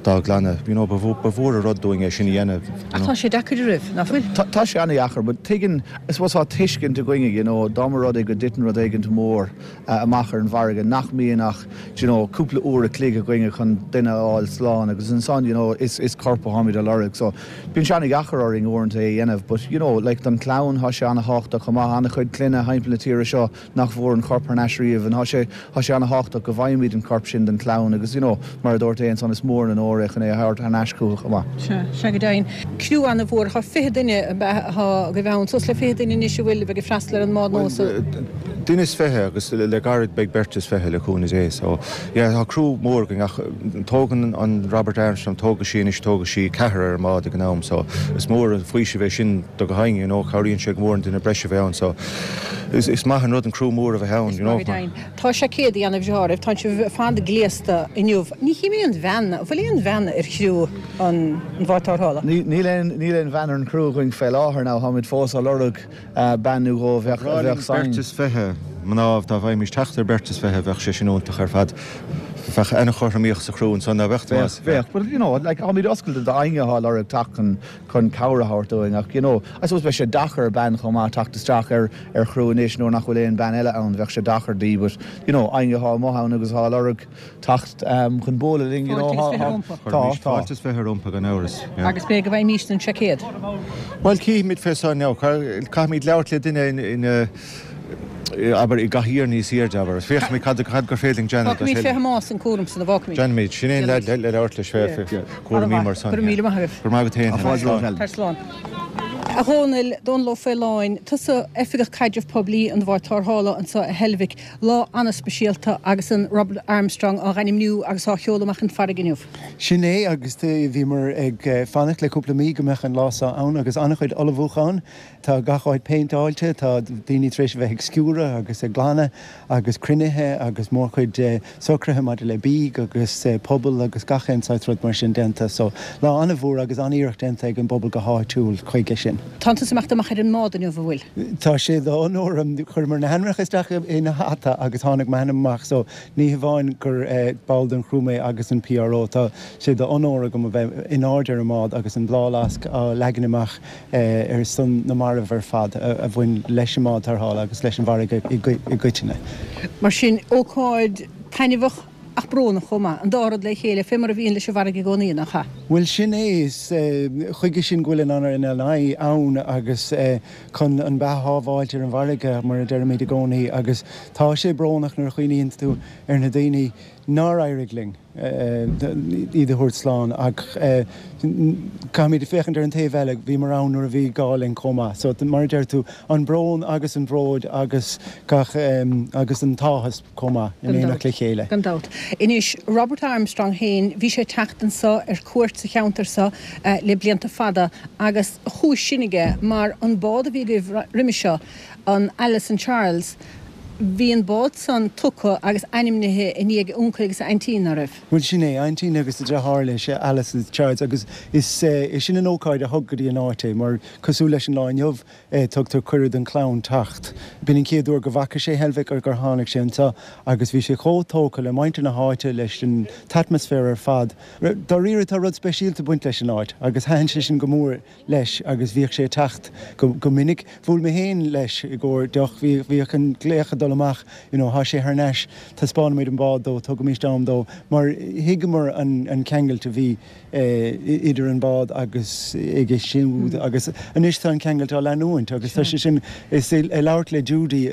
dá gclanna. You know ba ba mhór an rud dúinn é sin a dhéanamh. Ach tá sé deacair a raibh, nach bhfuil? Tá sé an-dheacair but tuigeann, I suppose tá tuiscint againne you know dá mba rud é go dtiteann rud éigint mór amach ar an bhfarraige nach mbíonn ach do you know cúpla uair a chloig againne chun duine a fháil slán agus ansan you know is is corp atháimid a lorg so bíonn sé an-dheacair orainn uaireanta é a dhéanamh but you know like don chlann thá sé an-thábhachtach chomh maith an-chuid clainne thimpeall na tíre seo nach bhfuair an corp thar n-ais riamh and thá sé thá sé an-thábhachtach go bhfaighimid an corp sin don chlann agus you know mar a dúirt Aodh ansan is mór an onóir é chun é a thabhairt thar n-ais chucu chomh maith. Sea, sea go deimhin. Criú an-mhór, thá 20 duine ab ea, thá agaibh ann, suas le 20 duine anois a bhfuil, a bheidh ag freastal ar an mbád nua so. Duine is 20 agus le gairid beidh beirt is 20 le cúnamh Dé so yeah tá criú mór againn ach tógann an Robert Armstrong, tógfaidh sí anois, tógfaidh sí ceathrar ar an mbád ag an am so is mór an faoiseamh é sin do gach éinne you know cabhraíonn sé go mór an duine breise a bheith ann so is maith an rud an criú mór a bheith ann you know. Tá seaicéid a dhéanamh deáraibh, tá sibh ar fad gléasta inniu. Ní chím aon bhean, an bhfuil aon bhean ar chriú an bháid tarrthála? Níl aon, níl aon bhean ar an chriú againn fé láthair now, táimid fós á lorg bean nó dhó a bheadh, a bheadh bhreá linn beirt is 20 mná, dá bhfaighimís teacht ar beirt is 20 bheadh sé sin iontach ar fad. Bheadh an-chothromaíocht sa chriú ansan, ná beadh, Tomás? Bheadh, bheadh, but you know, like táimid oscailte d'éinne atá ag lorg teacht chun, chun cabhair a thabhairt dúinn ach you know, I suppose beidh sé deacair ar bean chomh maith teacht isteach ar ar chriú anois nuair nach bhfuil aon bean eile ann, bheadh sé deacair di but you know, éinne atá amuigh ann agus atá ag lorg teacht chun bualadh linn you know, Fáilte is 20 rompu. Tá, tá. Fáilte is 20 rompu gan amhras, yeah. Agus b'fhéidir go bhfaighimíst an seaicéad. Bhuel cífimid fé san now, caithfimid labhairt le duine in abair i gcathaoir níos airde, abair. Féachfaimid cad cad gur féidir linn déanamh. Fágfaimid fé Thomás an cúram san, an bhfágfaimid? Déanfaimid. Sin é an leaid le labhairt leis fé chúraimí mar san. Go raibh míle maith agaibh. Go raibh maith agat féin. Tá fáilte romhat, Helen. Tar slán. A Dhónaill, Dónal Ó Faoláin, tusa Oifigeach Caidrimh Poiblí an Bháid Tarrthála anseo i Heilbhic. Lá an-speisialta agus an Robert Armstrong á ainmniú agus á sheoladh amach chun farraige inniu. Sin é agus bhíomar ag fanacht le cúpla mí go mbeadh an lá seo ann agus an-chuid ullmhúchán. Tá gach áit péinteáilte, tá daoine tar éis a bheith ag sciúradh agus ag glanadh agus cruinnithe agus mórchuid socruithe maidir le bídh agus puball agus gach aon saghas rud mar sin déanta. So, lá an-mhór agus an-iarracht déanta ag an bpobal go háitiúil chuige sin. Tánn tusa ag imeacht amach ar an mbád inniu, an bhfuil? Tá sé d'onóir agam. Chuireamar na hainmneacha isteach ina hata agus tháinig m'ainm amach so ní hamháin gur ball den chriú mé agus an PRO, tá sé d'onóir agam a bheith in airde ar an mbád agus an bláthfhleasc á leagan amach ar son na marbh ar fad a bhain leis an mbád tarrthála agus leis an bhfarraige i gcoitinne. Mar sin, ócáid taitneamhach ach brónach chomh maith, an dá rud le chéile, fé mar a bhíonn leis an bhfarraige i gcónaí, nach ea? Bhuel, sin é, is chuige sin go bhfuil an RNLI ann agus chun an beatha a shábháilt ar an bhfarraige, mar a deirimid i gcónaí, agus tá sé brónach nuair a chuimhníonn tú ar na daoine nár éirigh linn. iad a thabhairt slán ach caithfimid féachaint ar an taobh eile, bhíomar ann nuair a bhí gá linn chomh maith. So mar a deir tú, an brón agus an bród agus gach agus an t-áthas chomh maith in éineacht le chéile. Gan dabht. Anois, Robert Armstrong féin, bhí sé ag teacht anso ar cuairt sa cheantar seo le blianta fada agus chúis sin aige mar an bád a bhí agaibh roimhe seo, an Alice and Charles, Bhí an bád san tugtha agus ainmnithe i ndiaidh a uncail agus a aintín, ná raibh? Bhuel, sin é, aintín agus a deartháir leis, Alice agus Charles, agus is é sin an ócáid a thug go dtí an áit é, mar cosúil leis an lá inniu, tugtar cuireadh don chlann teacht. B'in an chéad uair go bhfaca sé Heilbhic gur tháinig sé anseo agus bhí sé chomh tógtha le muintir na háite, leis an t-atmaisféar ar fad. Dáiríre, tá rud speisialta ag baint leis an áit agus thaitin sé sin go mór. leis agus bhíodh sé ag teacht go minic. Bhuail mé féin leis i gcomhair deoch, bhíodh an glaoch ag dul amach, you know, thá sé thar n-ais, taispeánfaimid an bád dó, tugaimíst am dó, mar thuigeamar an ceangailt a bhí idir an bád agus aige siúd agus anois tá an ceangailt á leanúint agus tá sé sin, is ag labhairt le Judy,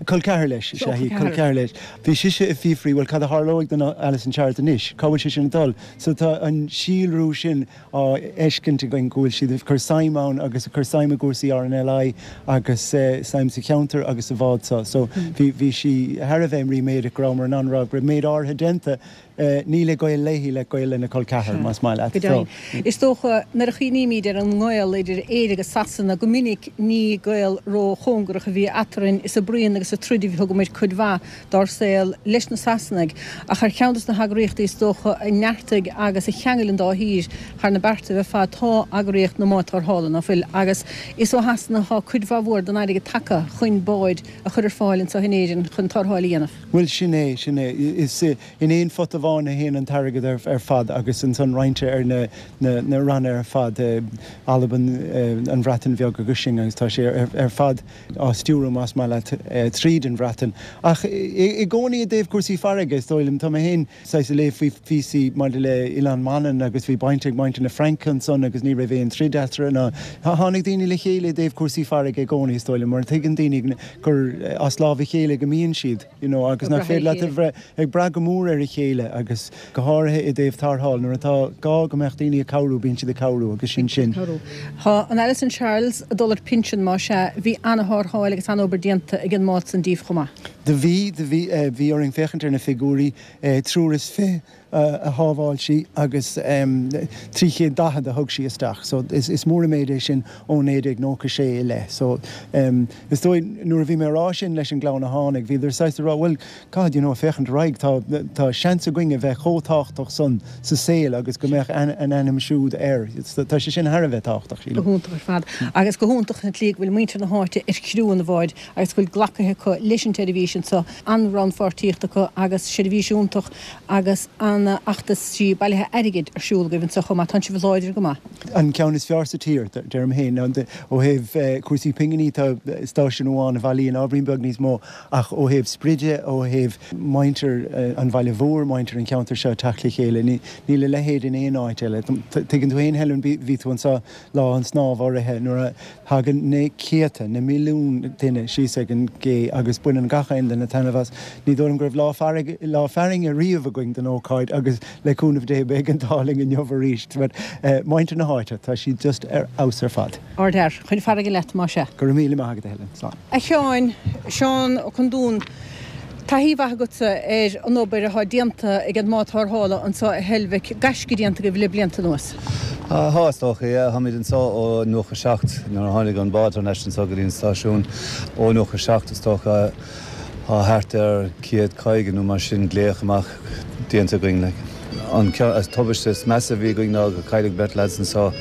col ceathar leis, is ea í, col ceathar leis, bhí sise ag fiafraí, bhuel cad a tharlóidh don Alice and Charles anois, cá bhfuil sé sin ag dul? So tá an síolrú sin á fheiscint againn go bhfuil siad ag cur suim ann agus ag cur suim i gcúrsaí RNLI agus suim sa cheantar agus sa bhád seo. So bhí, bhí sí thar a bheith ríméadach go rabhamar in ann, go raibh méid áirithe déanta Níl a gaol léi le gaol lena col ceathar, más maith leat. Go deimhin. Is dócha, nuair a chuimhnímid ar an ngaol idir Éire agus Sasana, go minic ní gaol ró-chóngarach a bhí eatarthu. Is ag bruíon agus ag troid a thugamar cuid mhaith dár saol leis na Sasanaigh. Ach ar cheann de na heagraíochtaí is dócha a neartaigh agus a cheangail an dá thír thar na beartaibh ar fad tá eagraíocht na mbád tarrthála, ná fuil? Agus is ó Shasana atá cuid mhaith mhór den airgead tagtha chun báid a chur ar fáil anseo in Éirinn chun tarrtháil a dhéanamh. Bhuel, sin é, sin é. Is in aon phota amháin a théann an t-airgead ar fad agus ansan roinnte ar na na ranna ar fad, Albain, an Bhreatain Bheag agus sin agus tá sé ar fad á stiúradh, más maith leat, tríd an Bhreatain. Ach i gcónaí i dtaobh cúrsaí farraige, is dóigh liom, tá mé féin saghas ag léamh faoi phíosaí maidir le Oileán Mhanann agus bhí baint ag muintir na Fraince ansan agus ní raibh aon troid eatarthu ná tháinig daoine le chéile i dtaobh cúrsaí farraige i gcónaí, is dóigh liom, mar tuigeann daoine gur as lámh a chéile go mbíonn siad, you know, agus nach féidir leat a bheith ag brath go mór ar a chéile agus go háirithe i dtaobh tarrtháil, nuair atá gá go mbeadh daoine ag cabhrú, bíonn siad ag cabhrú agus sin sin. Tá an Alison Charles ag dul ar pinsean, más ea, bhí ana-thárrtháil agus ana-obair déanta ag an mbád san díobh chomh maith. Do bhí, do bhí, bhí orainn féachaint ar na figiúirí, triúr is fi, a shábháil sí agus 340 a thug sí isteach. So is mór an méid é sin ó 1996 i leith. So is dóigh nuair a bhí mé a rá sin leis an gclann a tháinig, bhíodar saghas ag rá bhuel caithfidh you know féachaint ar aghaidh, tá tá seans againn a bheith chomh tábhachtach san sa saol agus go mbeadh a n-ainm siúd air. Tá sé sin thar a bheith tábhachtach, sílim. Go hiontach ar fad. Agus go hiontach an tslí go bhfuil muintir na háite ar chriú an bháid agus go bhfuil glactha acu leis an tseirbhís anseo, an-rannpháirtíocht acu agus seirbhís iontach agus an-fheachtaisí bailithe airgid ar siúl agaibh anseo chomh maith. Tánn sibh láidir go maith. An ceann is fearr sa tír, deirim féin. Ó thaobh cúrsaí pinginí, tá stáisiún amháin a bhailíonn ábhairín beag níos mó, ach ó thaobh spride, ó thaobh muintir an bhaile mhóir, muintir an cheantair seo ag teacht le chéile, níl a leithéid in aon áit eile. Tuigeann tú féin, Helen, bhí tú anseo lá an snámh áirithe nuair a Tagann na céadta, na milliúin duine síos ag an gcé agus baineann gach aon duine taitneamh as. Ní dóigh liom go raibh lá farraige, lá fearthainne riamh againn don ócáid agus le cúnamh Dé beidh an t-ádh linn inniu arís. But muintir na háite, tá siad just ar fheabhas ar fad. Ardfhear. Chun farraige leat, más ea. Go raibh míle maith agat, a Helen. Slán. A Sheáin, Seán Ó Conduáin, taithí mhaith agatsa ar an obair atá déanta ag an mbád tarrthála anseo i Heilbhic, gaisce déanta agaibh le blianta anuas. Tá, is dócha, yeah. Táimid anseo ó 97, nuair a tháinig an bád thar n-ais anseo go dtí an stáisiún. Ó 97, is dócha, tá thart ar 150 nó mar sin glaoch amach déanta againn, like. An tubaiste is measa a bhí againn ná gur cailleadh beirt lads anseo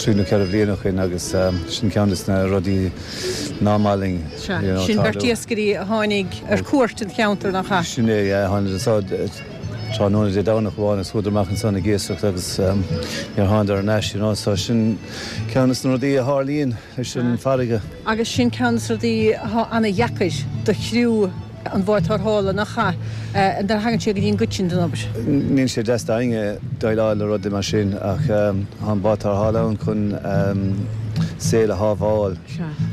trí nó ceithre bhliain ó shin agus sin ceann des na rudaí ná maith linn, Sea, you know, sin beirt iascairí a tháinig ar cuairt an cheantair, nach ea? Sin é, yeah, tháinig anseo tráthnóna Dé Domhnach amháin agus chuadar amach ansan ag iascaireacht agus níor thánadar thar n-ais, you know, so sin ceann des na rudaí a tharlaíonn leis an farraige. Agus sin ceann des na rudaí atá ana-dheacair do chriú an bháid tarrthála, nach ea, nuair a thagann sé go dtí an gcuid sin den obair. Níl sé deas d'éinne déileáil le rudaí mar sin ach tá an bád tarrthála ann chun saol a shábháil.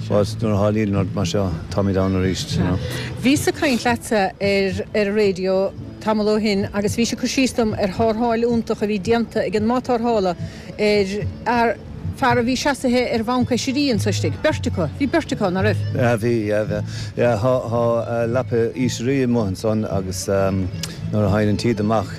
But nuair a tharlaíonn rud mar seo, táimid ann arís, you know. Bhíos ag caint leatsa ar ar an raidió tamall ó shin agus bhís ag cur síos dom ar thárrtháil iontach a bhí déanta ag an mbád tarrthála ar fhear fear a bhí seasaithe ar bhanc oisrí anso istigh. Beirt acu. Bhí beirt acu, ná raibh? Yeah, bhí, yeah, bhí. Yeah, thá, thá leapa oisrí amuigh ansan agus nuair a thagann an taoide amach,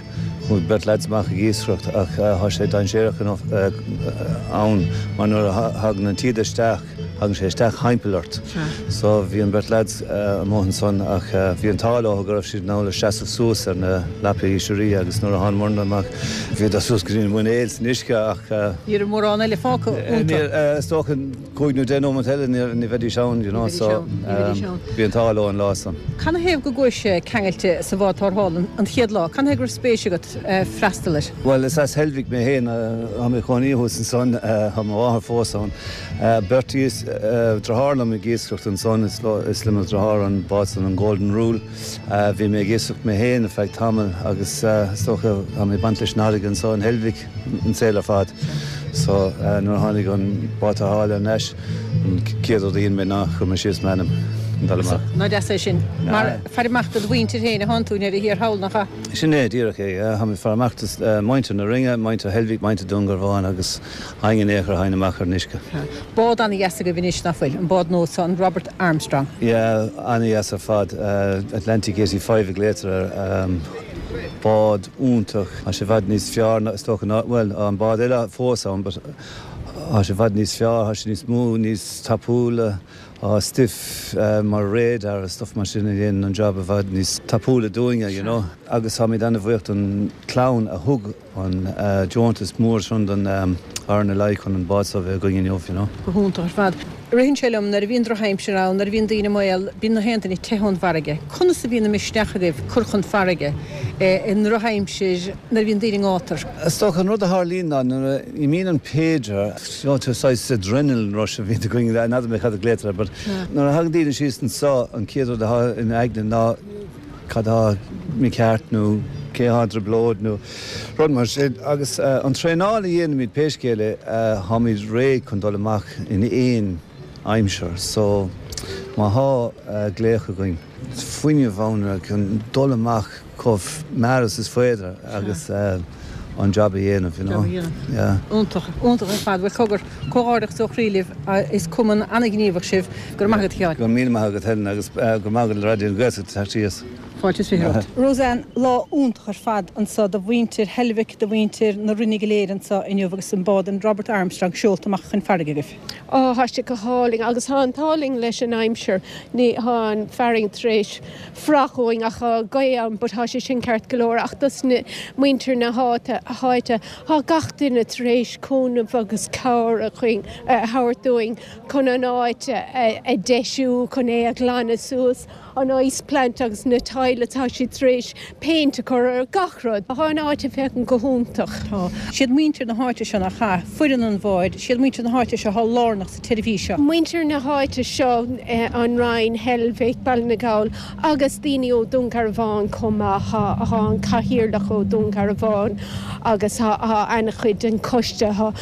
chuaigh beirt leaids amach ag iascaireacht ach thá sé dainséarach enough ann mar nuair a thagann an taoide isteach, Thagann sé isteach thimpeall ort. So bhí an beirt leaids amuigh ansan ach bhí an t-ádh leo go raibh siad in ann le seasamh suas ar na lapaí oisrí agus nuair a thánamairne amach bhíodar suas go dtí na muinéil san uisce ach. Ní raibh mórán eile fágtha iontu. Is dócha cúig nó deich nóiméad eile ní bheidís ann you know so bhí an t-ádh leo an lá san. Canathaobh go gcuais-se ceangailte sa bhád tarrthála an chéad lá? Canathaobh go raibh spéis agat freastal air? Bhuel is as Heilbhic mé féin, tá mé i mo chónaí thuas ansan, tá mo mháthair fós ann. Beirt deartháir liom ag iascaireacht ansan, is le mo dheartháir an bád san, an Golden Rule. Bhí mé ag iascaireacht mé féin ar feadh tamaill agus is dócha tá mé ag baint leis an fharraige anso in Heilbhic an saol ar fad. So nuair a tháinig an bád tarrthála thar n-ais, an chéad rud a dhein mé ná chuir mé síos m'ainm chun dul amach. Nach deas é sin. Mar faire amach do do mhuintir féin atánn tú i ndeireadh thiar thall, nach ea? Sin é díreach é. Tá mé ag faire amach do mhuintir na Rinne, muintir Heilbhic, muintir Dún Garbhán agus éinne in aon chor a thagann amach ar an uisce. Bád ana-dheas agaibh anois, nach bhfuil? An bád nua seo, an Robert Armstrong. Yeah, ana-dheas ar fad. Atlantic 85 a ghlaotar air. Bád iontach. Tá sé i bhfad níos fearr ná, is dócha ná, bhuel, tá an bád eile fós ann but tá sé i bhfad níos fearr, tá sé níos mó, níos tapúla, tá stuif mar radar agus stuff mar sin a dhéanann an job i bhfad níos tapúla dúinne, you know. Agus táimid ana-bhuíoch don chlann a thug an deontas mór sin don RNLI chun an bád seo a bheith againn inniu, you know. Go hiontach ar fad. Ritheann sé liom, nuair a bhíonn drochaimsir ann, nuair a bhíonn daoine i mbaol, bíonn na haon duine ag teitheadh ón bhfarraige. Conas a bhíonn an misneach agaibh cur chun farraige i ndrochaimsir nuair a bhíonn daoine i ngátar? Is dócha an rud a tharlaíonn ná nuair a imíonn an pager, seo saghas adrenaline rush a bhíonn againn, n'fheadar mé cad a ghlaotar air, but nuair a thagann daoine síos anseo an chéad rud atá ina aigne ná cad tá mícheart nó cé atá i dtrioblóid nó rud mar sin agus an traenáil a dhéanaimid pé scéal é táimid réidh chun dul amach in aon aimsir so má thá glaoch againn fuinneamh ann chun dul amach chomh mear is is féidir agus an job a dhéanamh you know yeah. Iontach, iontach ar fad. Bhuel cogar, comhghairdeachas ó chroí libh, is cumann an-ghníomhach sibh. Go raibh maith agat a Sheáin. Go raibh míle maith agat Helen agus go raibh maith agat le Raidió na Gaeltachta teacht síos. Fáilte is romhat. Roseanne, lá iontach ar fad anso do mhuintir Heilbhic, do mhuintir na Rinne go léir anso inniu agus an bád an Robert Armstrong seolta amach chun farraige agaibh. Á, thá sé go hálainn agus thá an t-ádh linn leis an aimsir. Ní, thá an farraige tar éis fuireach uainn ach thá gaoth ann but thá sé sin ceart go leor ach dos na muintir na háite, háite, thá gach duine tar éis cúnamh agus cabhair a chuing, a thabhairt dúinn chun an áit a, a deisiú, chun é a ghlanadh suas, an ice plant agus na toilets, thá siad tar éis péint a chur ar gach rud. Thá an áit ag féachaint go hiontach. Tá. Siad muintir na háite seo nach ea, foireann an bháid, siad muintir na háite seo thá lárnach sa tseirbhís seo. Muintir na háite seo, an Rinn, Heilbhic, Baile na nGall agus daoine ó Dún Garbhán chomh maith. Thá an cathaoirleach ó Dún Garbhán agus thá an-chuid den choiste, thá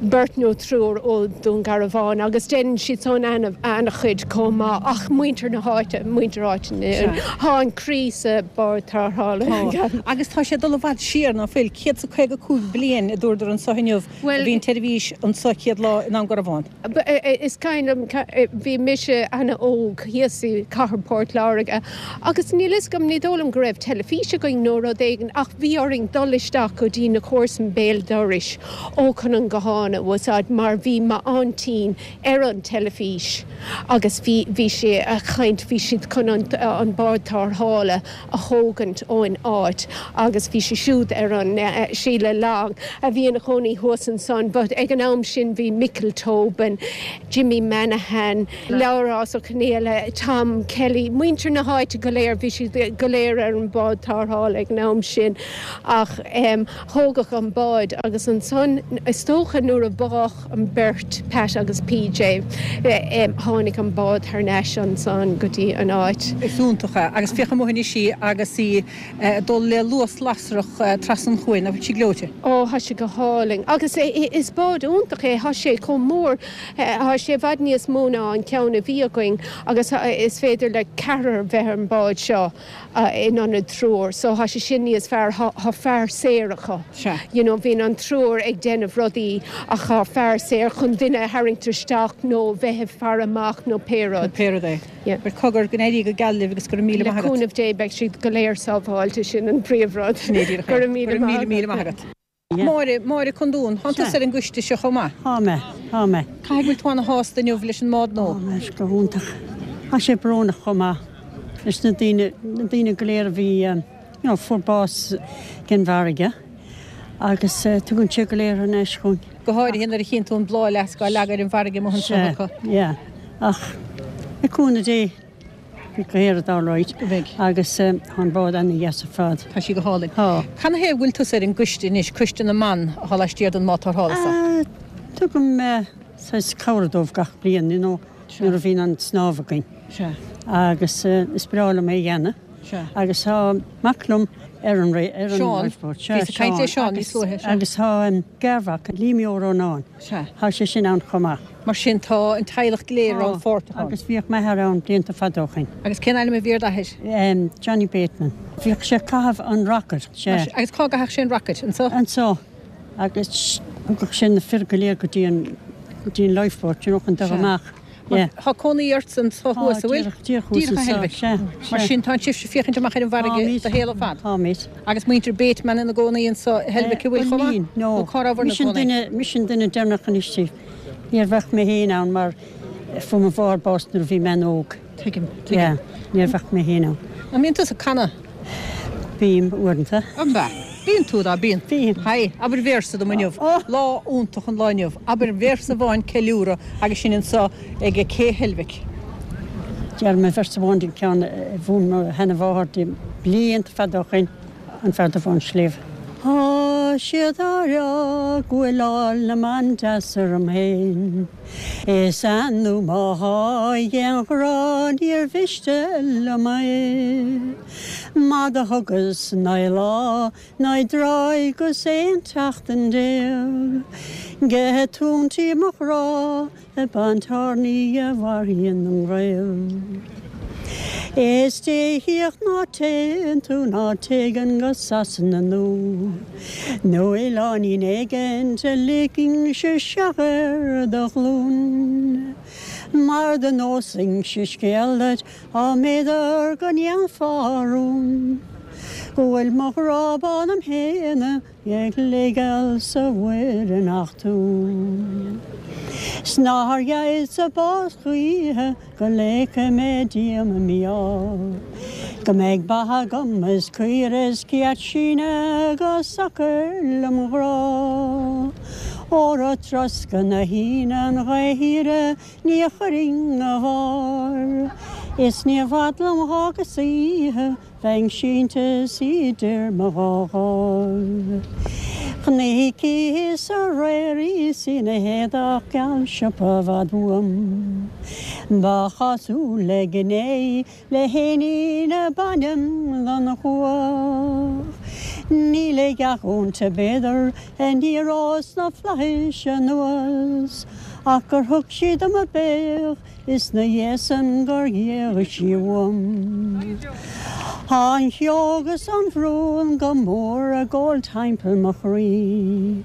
beirt nó triúr ó Dún Garbhán agus déanann siad san an-chuid chomh maith ach muintir na háite, muintir áite na, thá an croí sa bád tarrthála. Tá. Agus tá sé ag dul i bhfad siar, ná fuil? 155 bliain a dúradar anso inniu. Bhuel. Bhí an tseirbhís anso chéad lá i nDún Garbhán. Is cuimhin liom, bhí mise ana-óg thíos i cathair Port Láirge agus níl fhios agam, ní dóigh liom go raibh teilifís againn nó rud éigin ach bhí orainn dul isteach go dtí na comharsain béal dorais ó chun an guthán a úsáid mar bhí m'aintín ar an teilifís agus bhí, bhí sí a' caint, bhí siad chun an, an bád tarrthála a thógaint ón áit agus bhí sí siúd ar an Sheila Long a bhí ina chónaí thuas ansan but ag an am sin bhí Micil Tobin, Jimmy Manahan, Labhrás Ó Conghaile, Tom Kelly, muintir na háite go léir, bhí siad go léir ar an bád tarrthála ag an am sin ach thógadh an bád agus ansan is dócha nuair a bádh an beirt, Pat agus PJ. Tháinig an bád thar n-ais ansan go dtí an áit. Is iontach é. Agus féach amuigh anois í agus í ag dul le luas lasrach trasna an chuain. Nach bhfuil sí gleoite? Ó, thá sé go hálainn. Agus is bád iontach é. Thá sé chomh mór. Thá sé i bhfad níos mó ná an ceann a bhí againn agus is féidir le ceathrar bheith ar an bád seo. in ionad triúr so thá sé sin níos fearr, thá fear saor acu. Sea. You know bíonn an triúr ag déanamh rudaí ach thá fear saor chun duine a tharraingt isteach nó bheith ag faire amach nó pé rud. Nó pé rud é. Yeah. Bhuel cogar, go n-éirí go geal libh agus go raibh míle Le maith agat. cúnamh Dé beidh siad go léir sábháilte, sin an príomhrud. Sin é díreach é. Go raibh míle Go raibh maith míle míle agat. maith agat. Máire, Máire Condún, thánn tusa ar an gcoiste seo chomh maith. Thá mé, thá mé. Caithfidh go bhfuil tú ana-shásta inniu leis an mbád nua. Thá mé, go hiontach. Thá sé brónach chomh maith leis na daoine, na daoine go léir a bhí, you know, fuair bás den bhfarraige agus tugann sé go léir thar n-ais chugainn. Go háirithe nuair a chíonn tú an bláthfhleasc á leagadh ar an bhfarraige amuigh anseo Sea, acu. yeah. Ach le cúnamh Dé. Beidh go héiread alright. Beidh. Agus tá an bád ana-dheas ar fad. Tá sí go hálainn. Tá. Canathaobh go bhfuil tusa ar an gcoiste anois, Coiste na mBan atá laistiar den mbád tarrthála seo? Tugaim saghas cabhair dóibh gach bliain, you know, nuair a bhíonn an snámh againn. Sea. Agus is breá liom é a dhéanamh. Sea. Agus tá mac liom ar an, ar an Seán. lifeboat. Sea, Bhíos ag caint le Seán níos luaithe. Agus, agus tá garmhac, Liam Ó Rónáin. Sea. Tá sé sin ann chomh maith. Mar sin tá an teaghlach go léir rannpháirteach ann. Agus bhíodh m'athair ann blianta fada ó shoin. Agus cén ainm a bhí ar d'athair? Johnny Bateman. Bhíodh sé ag caitheamh an rocket. Sea. Agus cá gcaitheadh sé an rocket? Anso? Anso. Agus thugadh sé na fir go léir go dtí an, go dtí an lifeboat, you know, chun dul amach. Yeah. Tá cónaí ort anso thuas, an bhfuil? Díreach thuas anseo, sea. Mar sin, tá sibhse ag féachaint amach ar an bhfarraige do shaol ar fad. Táimid. Agus muintir Bateman ina gcónaí anso i Heilbhic, an bhfuil chomh maith? No. Nó cá rabhabhair ina gcónaí? Mise an duine deireanach anois díobh. Níor bheadh mé féin ann mar fuair mo mháthair bás nuair a bhí mé an-óg. Tuigim, tuigim. Yeah, níor bheadh mé féin ann. An mbíonn tusa ag canadh? Bím, uaireanta. An bea? Bíonn tú, dá bíonn. Bím. Haigh, abair véarsa dom inniu. Lá iontach an lá inniu. Abair véarsa amháin ceiliúradh agus sinn anso ag Cé Heilbhic. Déarfaidh mé véarsa amháin den ceann a mhúin mo sheana-mháthair di blianta fada ó shoin, An Fear Dubh Bán Sliabh. Tá siad á rá go bhfuil ál na mban deas orm fhéin. Is nó má thá d'aon ghrá níor mhiste liom é. Má do thugas 9 lá, 9 dtráigh 'gus 11 tseachtain Ge tún tí mo ghrá a bantiarnaí a mharaíonn an gaol. Is Dé shíoth ná téann tú ná téann go Sasana nó nó oileáinín éigint a ligfinnse isteach ar do ghlúin. Mar do neosfainnse scéal duit á mb'fhéidir go ndéanfá rún go bhfuil mo ghrá bán im shéanadh ag ligeáil sa mhuir i ngach tún. 'S nár gheibhse bás choíche Go leigfidh mé díom i mí-ádh Go mbeidh beatha agam is caoire is céad síneadh go socair lem ghrá. Óra troscadh na haoine an ghaoth shaoire ní chuirfinn 'na bharr Is ní i bhfad liom dh'fhágas oíche Bheinn sínte 's idir mo dhá dháimh. Chonaiceas aréir í 's í 'na héadach geal siopa i bhfad uaim. Ba chosúil le gné í le héinín ab ainm don chuach. Níl a dhath inti b'fhéidir a n-éireodh sna flaithis anuas ach gur thug sí dom a béal Is 'na dhiaidh san gur ghéag sí uaim. Tá an cheo agus an bhrón go mór ag gabháil timpeall mo chroí.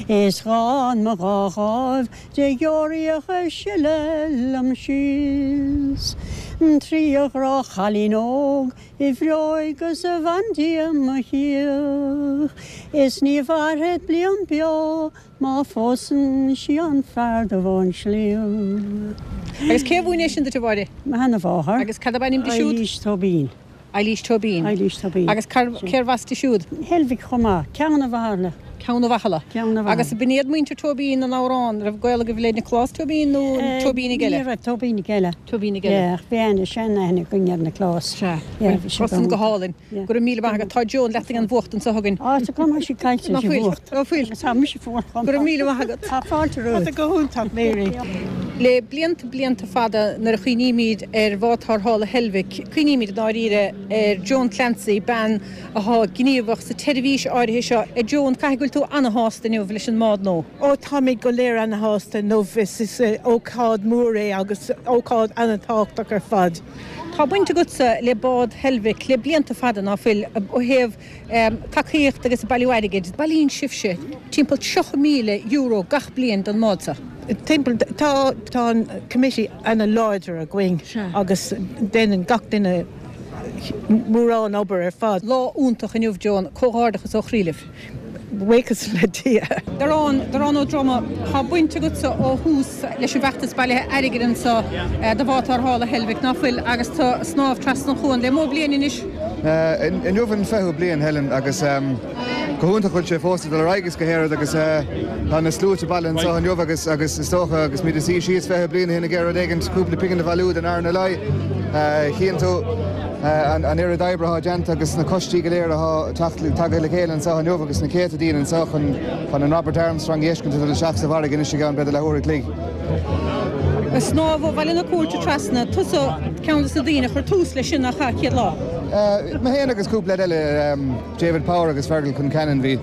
Is dhán mo dhá dháimh de dheoraíoch ag sileadh liom síos. Trí ghrá chailín óg i bhfreoigh 'gus a bhandia mo chíoch. Is ní mhairfead bliain beo Má phósann sí an fear dubh ón sliabh. Agus cé a mhúin é sin duit, a Mháire? Mo sheana-mháthair. Agus cad ab ainm di siúd? Eilís Tóibín. Eilís Tóibín. Eilís Tóibín. Agus cérbh as di siúd? Heilbhic chomh maith. Ceann a' Mhathairle. Ceann a' Mhathairle. Ceann a' Mhathairle. Agus b'in iad muintir Tóibín an amhráin, raibh gaol agaibh le Nioclás Tóibín nó Tóibínigh eile? Ní raibh, Tóibínigh eile. Tóibínigh eile. Yeah, ach bhí aithne, sean-aithne againn ar Nioclás. Sea. Yeah, bhí sé Tá san go hálainn. Go raibh míle maith agat. Tá Joan leat ag an bhfuacht anseo chugainn. Á, tá cuma sí caillte Ná sí fuil, bhfuacht. ná fuil. Tá mise fuar chomh Go raibh maith. míle maith agat. Tá fáilte romhat. Tá go hiontach, Mary. Le blianta, blianta fada nuair a chuimhnímid ar bhád tarrthála Heilbhic, cuimhnímid i ndáiríre ar Joan Clancy, bean athá gníomhach sa tseirbhís áirithe seo. A Joan, caithfidh go bhfuil tú ana-shásta inniu leis an mbád nó? Ó, táimid go léir ana-shásta inniu. Is ócáid mhór é agus ócáid ana-thábhachtach ar fad. Tá baint agatsa le bád Heilbhic le blianta fada, ná fuil, ó thaobh tacaíocht agus bailiú airgid. Bailíonn sibhse timpeall €30,000 gach bliain don mbád seo. Timpeall, tá, tá an committee ana láidir againn agus déanann gach duine mórán obair ar fad. Lá iontach inniu Joan, comhghairdeachas ó chroí libh. Buíochas le Dia. Darán, Darán Ó Droma, tá baint agatsa ó thús leis an bhfeachtas bailithe airgid anseo do bhád tarrthála Heilbhic, ná fuil, agus tú ag snámh trasna an chuain le mó bliain anois? Inniu an fichiú bliain, Helen, agus go hiontach go bhfuil sé fós ag dul ar aghaidh agus go háirid agus tá na sluaite bailithe anseo inniu agus agus is dócha agus muid ag suí síos 20 bliain ó shin ag iarraidh rud éigin, cúpla pingin a bhailiú don RNLI, chíonn tú. An oiread oibre atá déanta agus na coistí go léir atá tagtha le chéile anseo inniu agus na céadta daoine anseo chun an Robert Armstrong a fheiscint ag dul isteach sa bhfarraige anois i gceann b'fhéidir leathuair a chloig. Ag snámh ó Bhaile na Cúirte trasna, tusa ceann de na daoine a chuir tús leis sin nach ea, chéad lá? Mé féin agus cúpla leaid eile, David Power agus Fergal Concannon, bhí.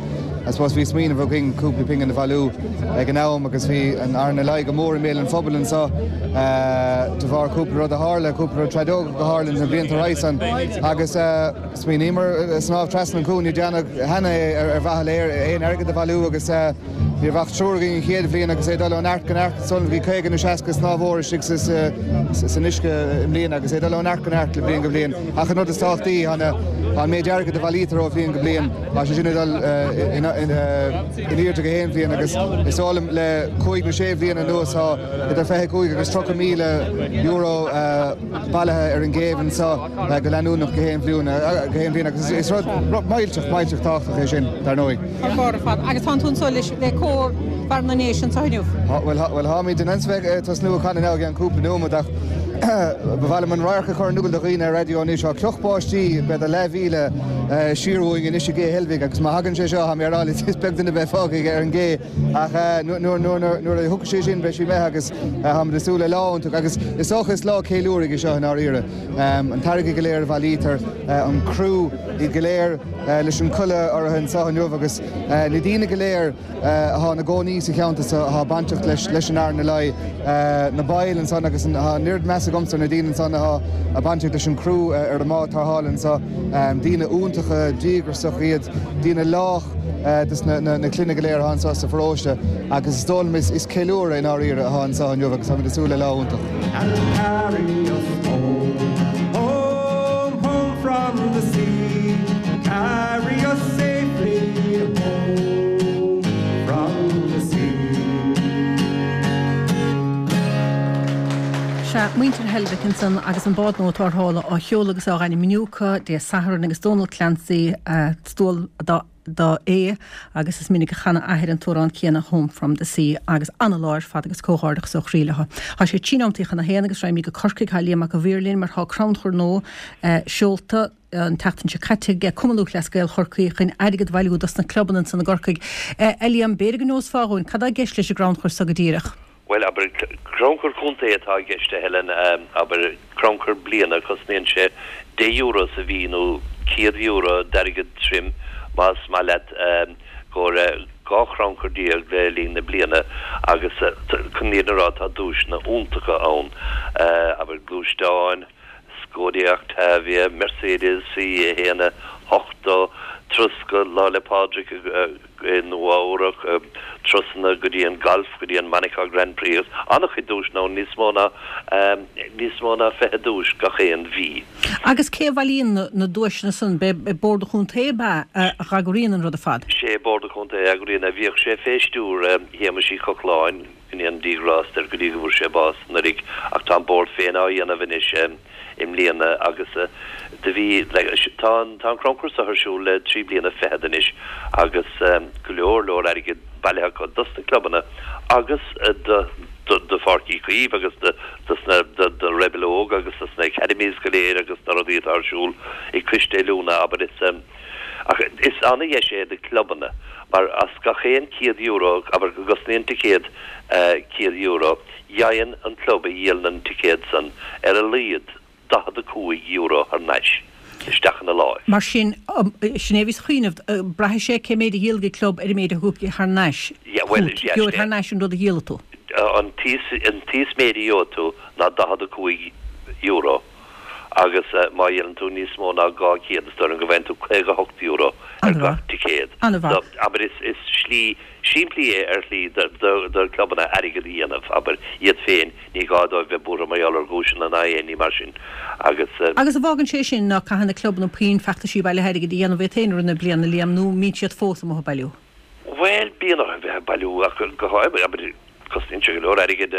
I suppose bhí smaoineamh againn cúpla pingin a bhailiú ag an am agus bhí an RNLI go mór i mbéal an phobail anseo de bharr cúpla rud a tharla, cúpla rud tragóideach a tharla na blianta roimhe san agus smaoiníomar snámh trasna an cuan, ní dhearnadh cheana é ar mhaithe le aon airgead a bhailiú agus ní raibh ach triúr againn an chéad bhliain agus é ag dul ó neart go neart is bhí 50 nó 60 snámhóir istigh san uisce i mbliana agus é ag dul ó neart go neart le bliain go bliain. Ach an rud is tábhachtaí, tá an méid airgid a bhailítear ó bhliain go bliain, tá sé sin ag dul in airde go haon bhliain agus is dóigh liom le cúig nó sé bhliain anuas tá idir 25 agus 30 míle euro bailithe ar an gcéibh anseo go leanúnach go haon bhliain agus is rud millteach, millteach tábhachtach é sin, dar ndóigh. Thar barr ar fad. Agus tánn tú anso leis, le cór Bharr na nDéise anso inniu. Bhuel, bhuel, táimid in ainm is bheith ag tosnú ag canadh now i gceann cúpla nóiméad ach ba mhaith liom an radharc a chur in iúl do dhaoine ar raidió anois. Tá cloch báistí, b'fhéidir leathmhíle siar uainn anois i gCé Heilbhic agus má thagann sé seo, tá mé ag rá leat, is beag duine a bheidh fágtha ar an gcé ach nuair a thiocfaidh sé sin beidh sí imithe agus táimid ag súil le lá iontach agus is dócha is lá ceiliúraidh é seo i ndáiríre. An t-airgead go léir a bhailítear, an criú, iad go léir leis an culaith orthu anseo inniu agus na daoine go léir atá ina gcónaí sa cheantar seo atá bainteach leis an RNLI, na baill ansan agus tá an oiread meas agamsa ar na daoine ansan atá bainteach leis an gcriú ar an mbád tarrthála anseo. Daoine iontacha, díograiseach iad, daoine lách dos na clainne go léir atá anseo sa pharóiste agus is dóigh liom is ceiliúradh i ndáiríre atá anseo inniu agus táimid ag súil le lá iontach. And carry us home, home, home from the sea, carry us safely home from the sea. Sea, muintir Heilbhic ansan agus an bád nua tarrthála á sheoladh agus á ainmniú acu Dé Sathairn agus Dónal Clancy is dual dó é agus is minic a chan a athair an t-amhrán céanna Home from the Sea agus ana-lá ar fad agus comhghairdeachas ó chroí leo. Tá sé trí nóimeataí chun a haon agus raghaimid go Corcaigh, tá Liam Mac a' Mhaoir linn mar tá crannchur nua seolta an tseachtain seo caite ag Cumann Lúthchleas Gael Chorcaí chun airgead a bhailiú dos na clubanna ansan i gCorcaigh. A Liam, b'fhéidir go neosfá dhúinn cad tá i gceist leis an gcrannchur so go díreach? Bhuel, abair, crannchur contae atá i gceist, a Helen, abair, crannchur bliana, cosnaíonn sé deich euro sa mhí nó €100 d'airgead tirim, más maith leat, gcomhair 12 chrannchur le linn na bliana agus chun an fhírinne a rá tá duaiseanna iontacha ann, abair, gluaisteáin, Skoda Octavia, Mercedes C1 80, turas go Lá 'le Pádraig i Nua Eabhrac, turasanna go dtí an galf, go dtí an Monaco Grand Prix agus an-chuid duaiseanna ann, níos mó ná níos mó ná 20 duais gach aon mhí. Agus cé a bhailíonn na duaiseanna san? B'é Bord an Chontae ab ea a eagraíonn an rud ar fad? Sé Bord an Chontae a eagraíonn é. Bhíodh sé fé stiúir Shéamuis Uí Chochláin, Go ndéana Dia grást air go dtí go bhfuair sé bás anuraidh ach tá an Bord féin á dhéanamh anois i mbliana agus do bhí tá an tá an crannchur seo ar siúl le 3 bliana fichead anois agus go leor leor airgid bailithe acu dos na clubanna agus do do Pháirc Uí Chaoimh agus do dos na do do Rebel Óg agus dos na academies go léir agus na rudaí atá ar siúl ag coiste oiliúna abair is Ach is ana-dheis é do clubanna mar as gach aon €100, abair go gcosnaíonn ticéad €100, gheibheann an club a dhíolann an ticéad san ar a laghad €45 thar n-ais isteach ina láimh. Mar sin, sin é a bhíos a chuimhneamh, braithfidh sé cé méid a dhíolfaidh an club ar an méid a thiocfaidh thar n-ais chugat. Gheobhaidh thar n-ais an rud a dhíolfaidh tú. An t-íosmhéid a gheobhaidh tú ná €45. Agus má dhíolann tú níos mó ná 200, is dóigh liom go bhfaigheann tú €58 ar gach ticéad. An-mhaith. Abair, is slí simplí é ar shlí do chlubanna airgead a dhéanamh, abair, iad féin, ní gá dóibh bheith buartha mar gheall ar dhuaiseanna ná aon ní mar sin. Agus. Agus an bhfágann sé sin ná caithfidh na clubanna puinn feachtaisí bailithe airgid a dhéanamh iad féin i rith na bliana, Liam, nó an mbíonn siad fós amuigh ag bailiú? Bhuel, bíonn orthu bheith ag bailiú ach go háirithe, abair, cosnaíonn sé go leor airgid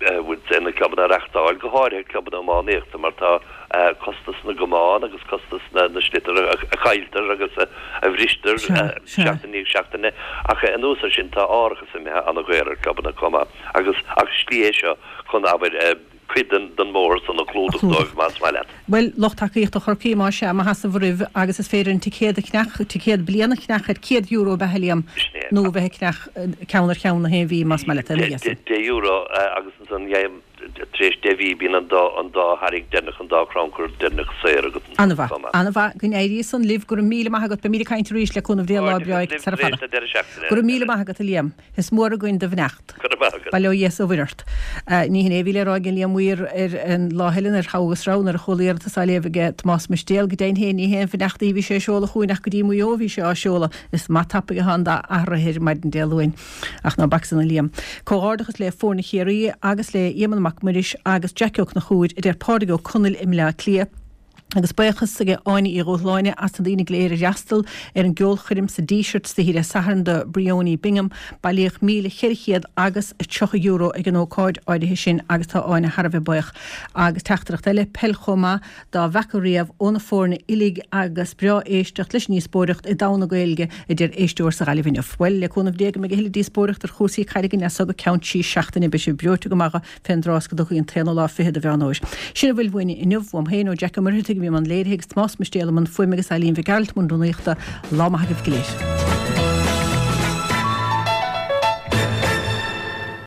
na clubanna a reachtáil, go háirithe clubanna iománaíochta mar tá costas na gcamán agus costas na sliotar a chailltear agus a bhristear seachtain i ndiaidh seachtaine. Ach anuas air sin tá árachas imithe an-dhaor ar chlubanna chomh maith agus ach slí é seo chun, abair. cuid den bhóthar san a chlúdach dóibh, más maith leat. Bhuel, lucht tacaíochta Chorcaí, más ea, maith as bhur roimh agus is féidir an ticéad a cheannach, ticéad bliana a cheannach ar €100 ab ea, a Liam? Sin é. Nó a bheith ag ceannach ceann ar cheann na haon mhí, más maith leat, ina dhiaidh san. €10 agus ansan tar éis 10 mhí bíonn an dá an dá tharraingt deireanach, an dá chrannchur deireanach saor agat ansan An-mhaith, chomh maith. an-mhaith. Go n-éirí san libh. Go raibh míle maith agat. Beimid ag caint arís le cúnamh Dé lá breá Comhghairdeachas libh sara tar éis fada. na deireadh seachtaine. Go raibh míle maith agat, a Liam. Is mór againn do bheannacht. Go raibh maith agat. Bail ó Dhia is ó Mhuire ort. Ní hin é a bhí le rá ag an Liam Mhaoir ar an lá eile nuair a thoghadh is raibh, nuair a chuala iarratas á léamh aige Tomás Mistéal. Go deimhin féin ní haon bheannacht í a bhí sé a seoladh chugainn ach go dtí Maigh Eo a bhí sé á seoladh. Is maith tapaidh atá an dath athraithe ar maidin Dé Luain. Ach ná bac san a Liam. Comhghairdeachas le foirne Chiarraí agus le Éamonn Mac Muiris agus Jackie Ó Conchúir, a deir Pádraig Ó Conaill i mBleá Cliath. Agus buíochas ag Áine Uí Dhúshláine as na daoine go léir a d'fhreastal ar an gceolchoirm sa Díseart oíche Dé Sathairn do Briony Bingham. Bailíodh €1,400 agus €30 ag an ócáid áirithe sin agus tá Áine thar a bheith buíoch. Agus teachtaireacht eile, peil chomh maith dá bhfeaca riamh ó na foirne uilig agus breá éisteacht leis an ndíospóireacht i dtogha na Gaeilge, a deir éisteoir sa Ghaillimh inniu. Bhuel, le cúnamh Dé go mbeidh a thuilleadh díospóireacht ar chúrsaí caide againn as so go ceann trí seachtaine. Beidh sibh breoite go maith fén dtráth is go dtiocfaidh an t-aonú lá fichead de Mheán Fhómhair. Sin a bhfuil uainne inniu, uaim féin, ó Jack Ó Muircheartaigh a bhí i mbun léirithe agus Tomás Mistéal i mbun fuaime agus Eileen Mhic Gearailt i mbun rúnaíochta. Lá maith agaibh go léir.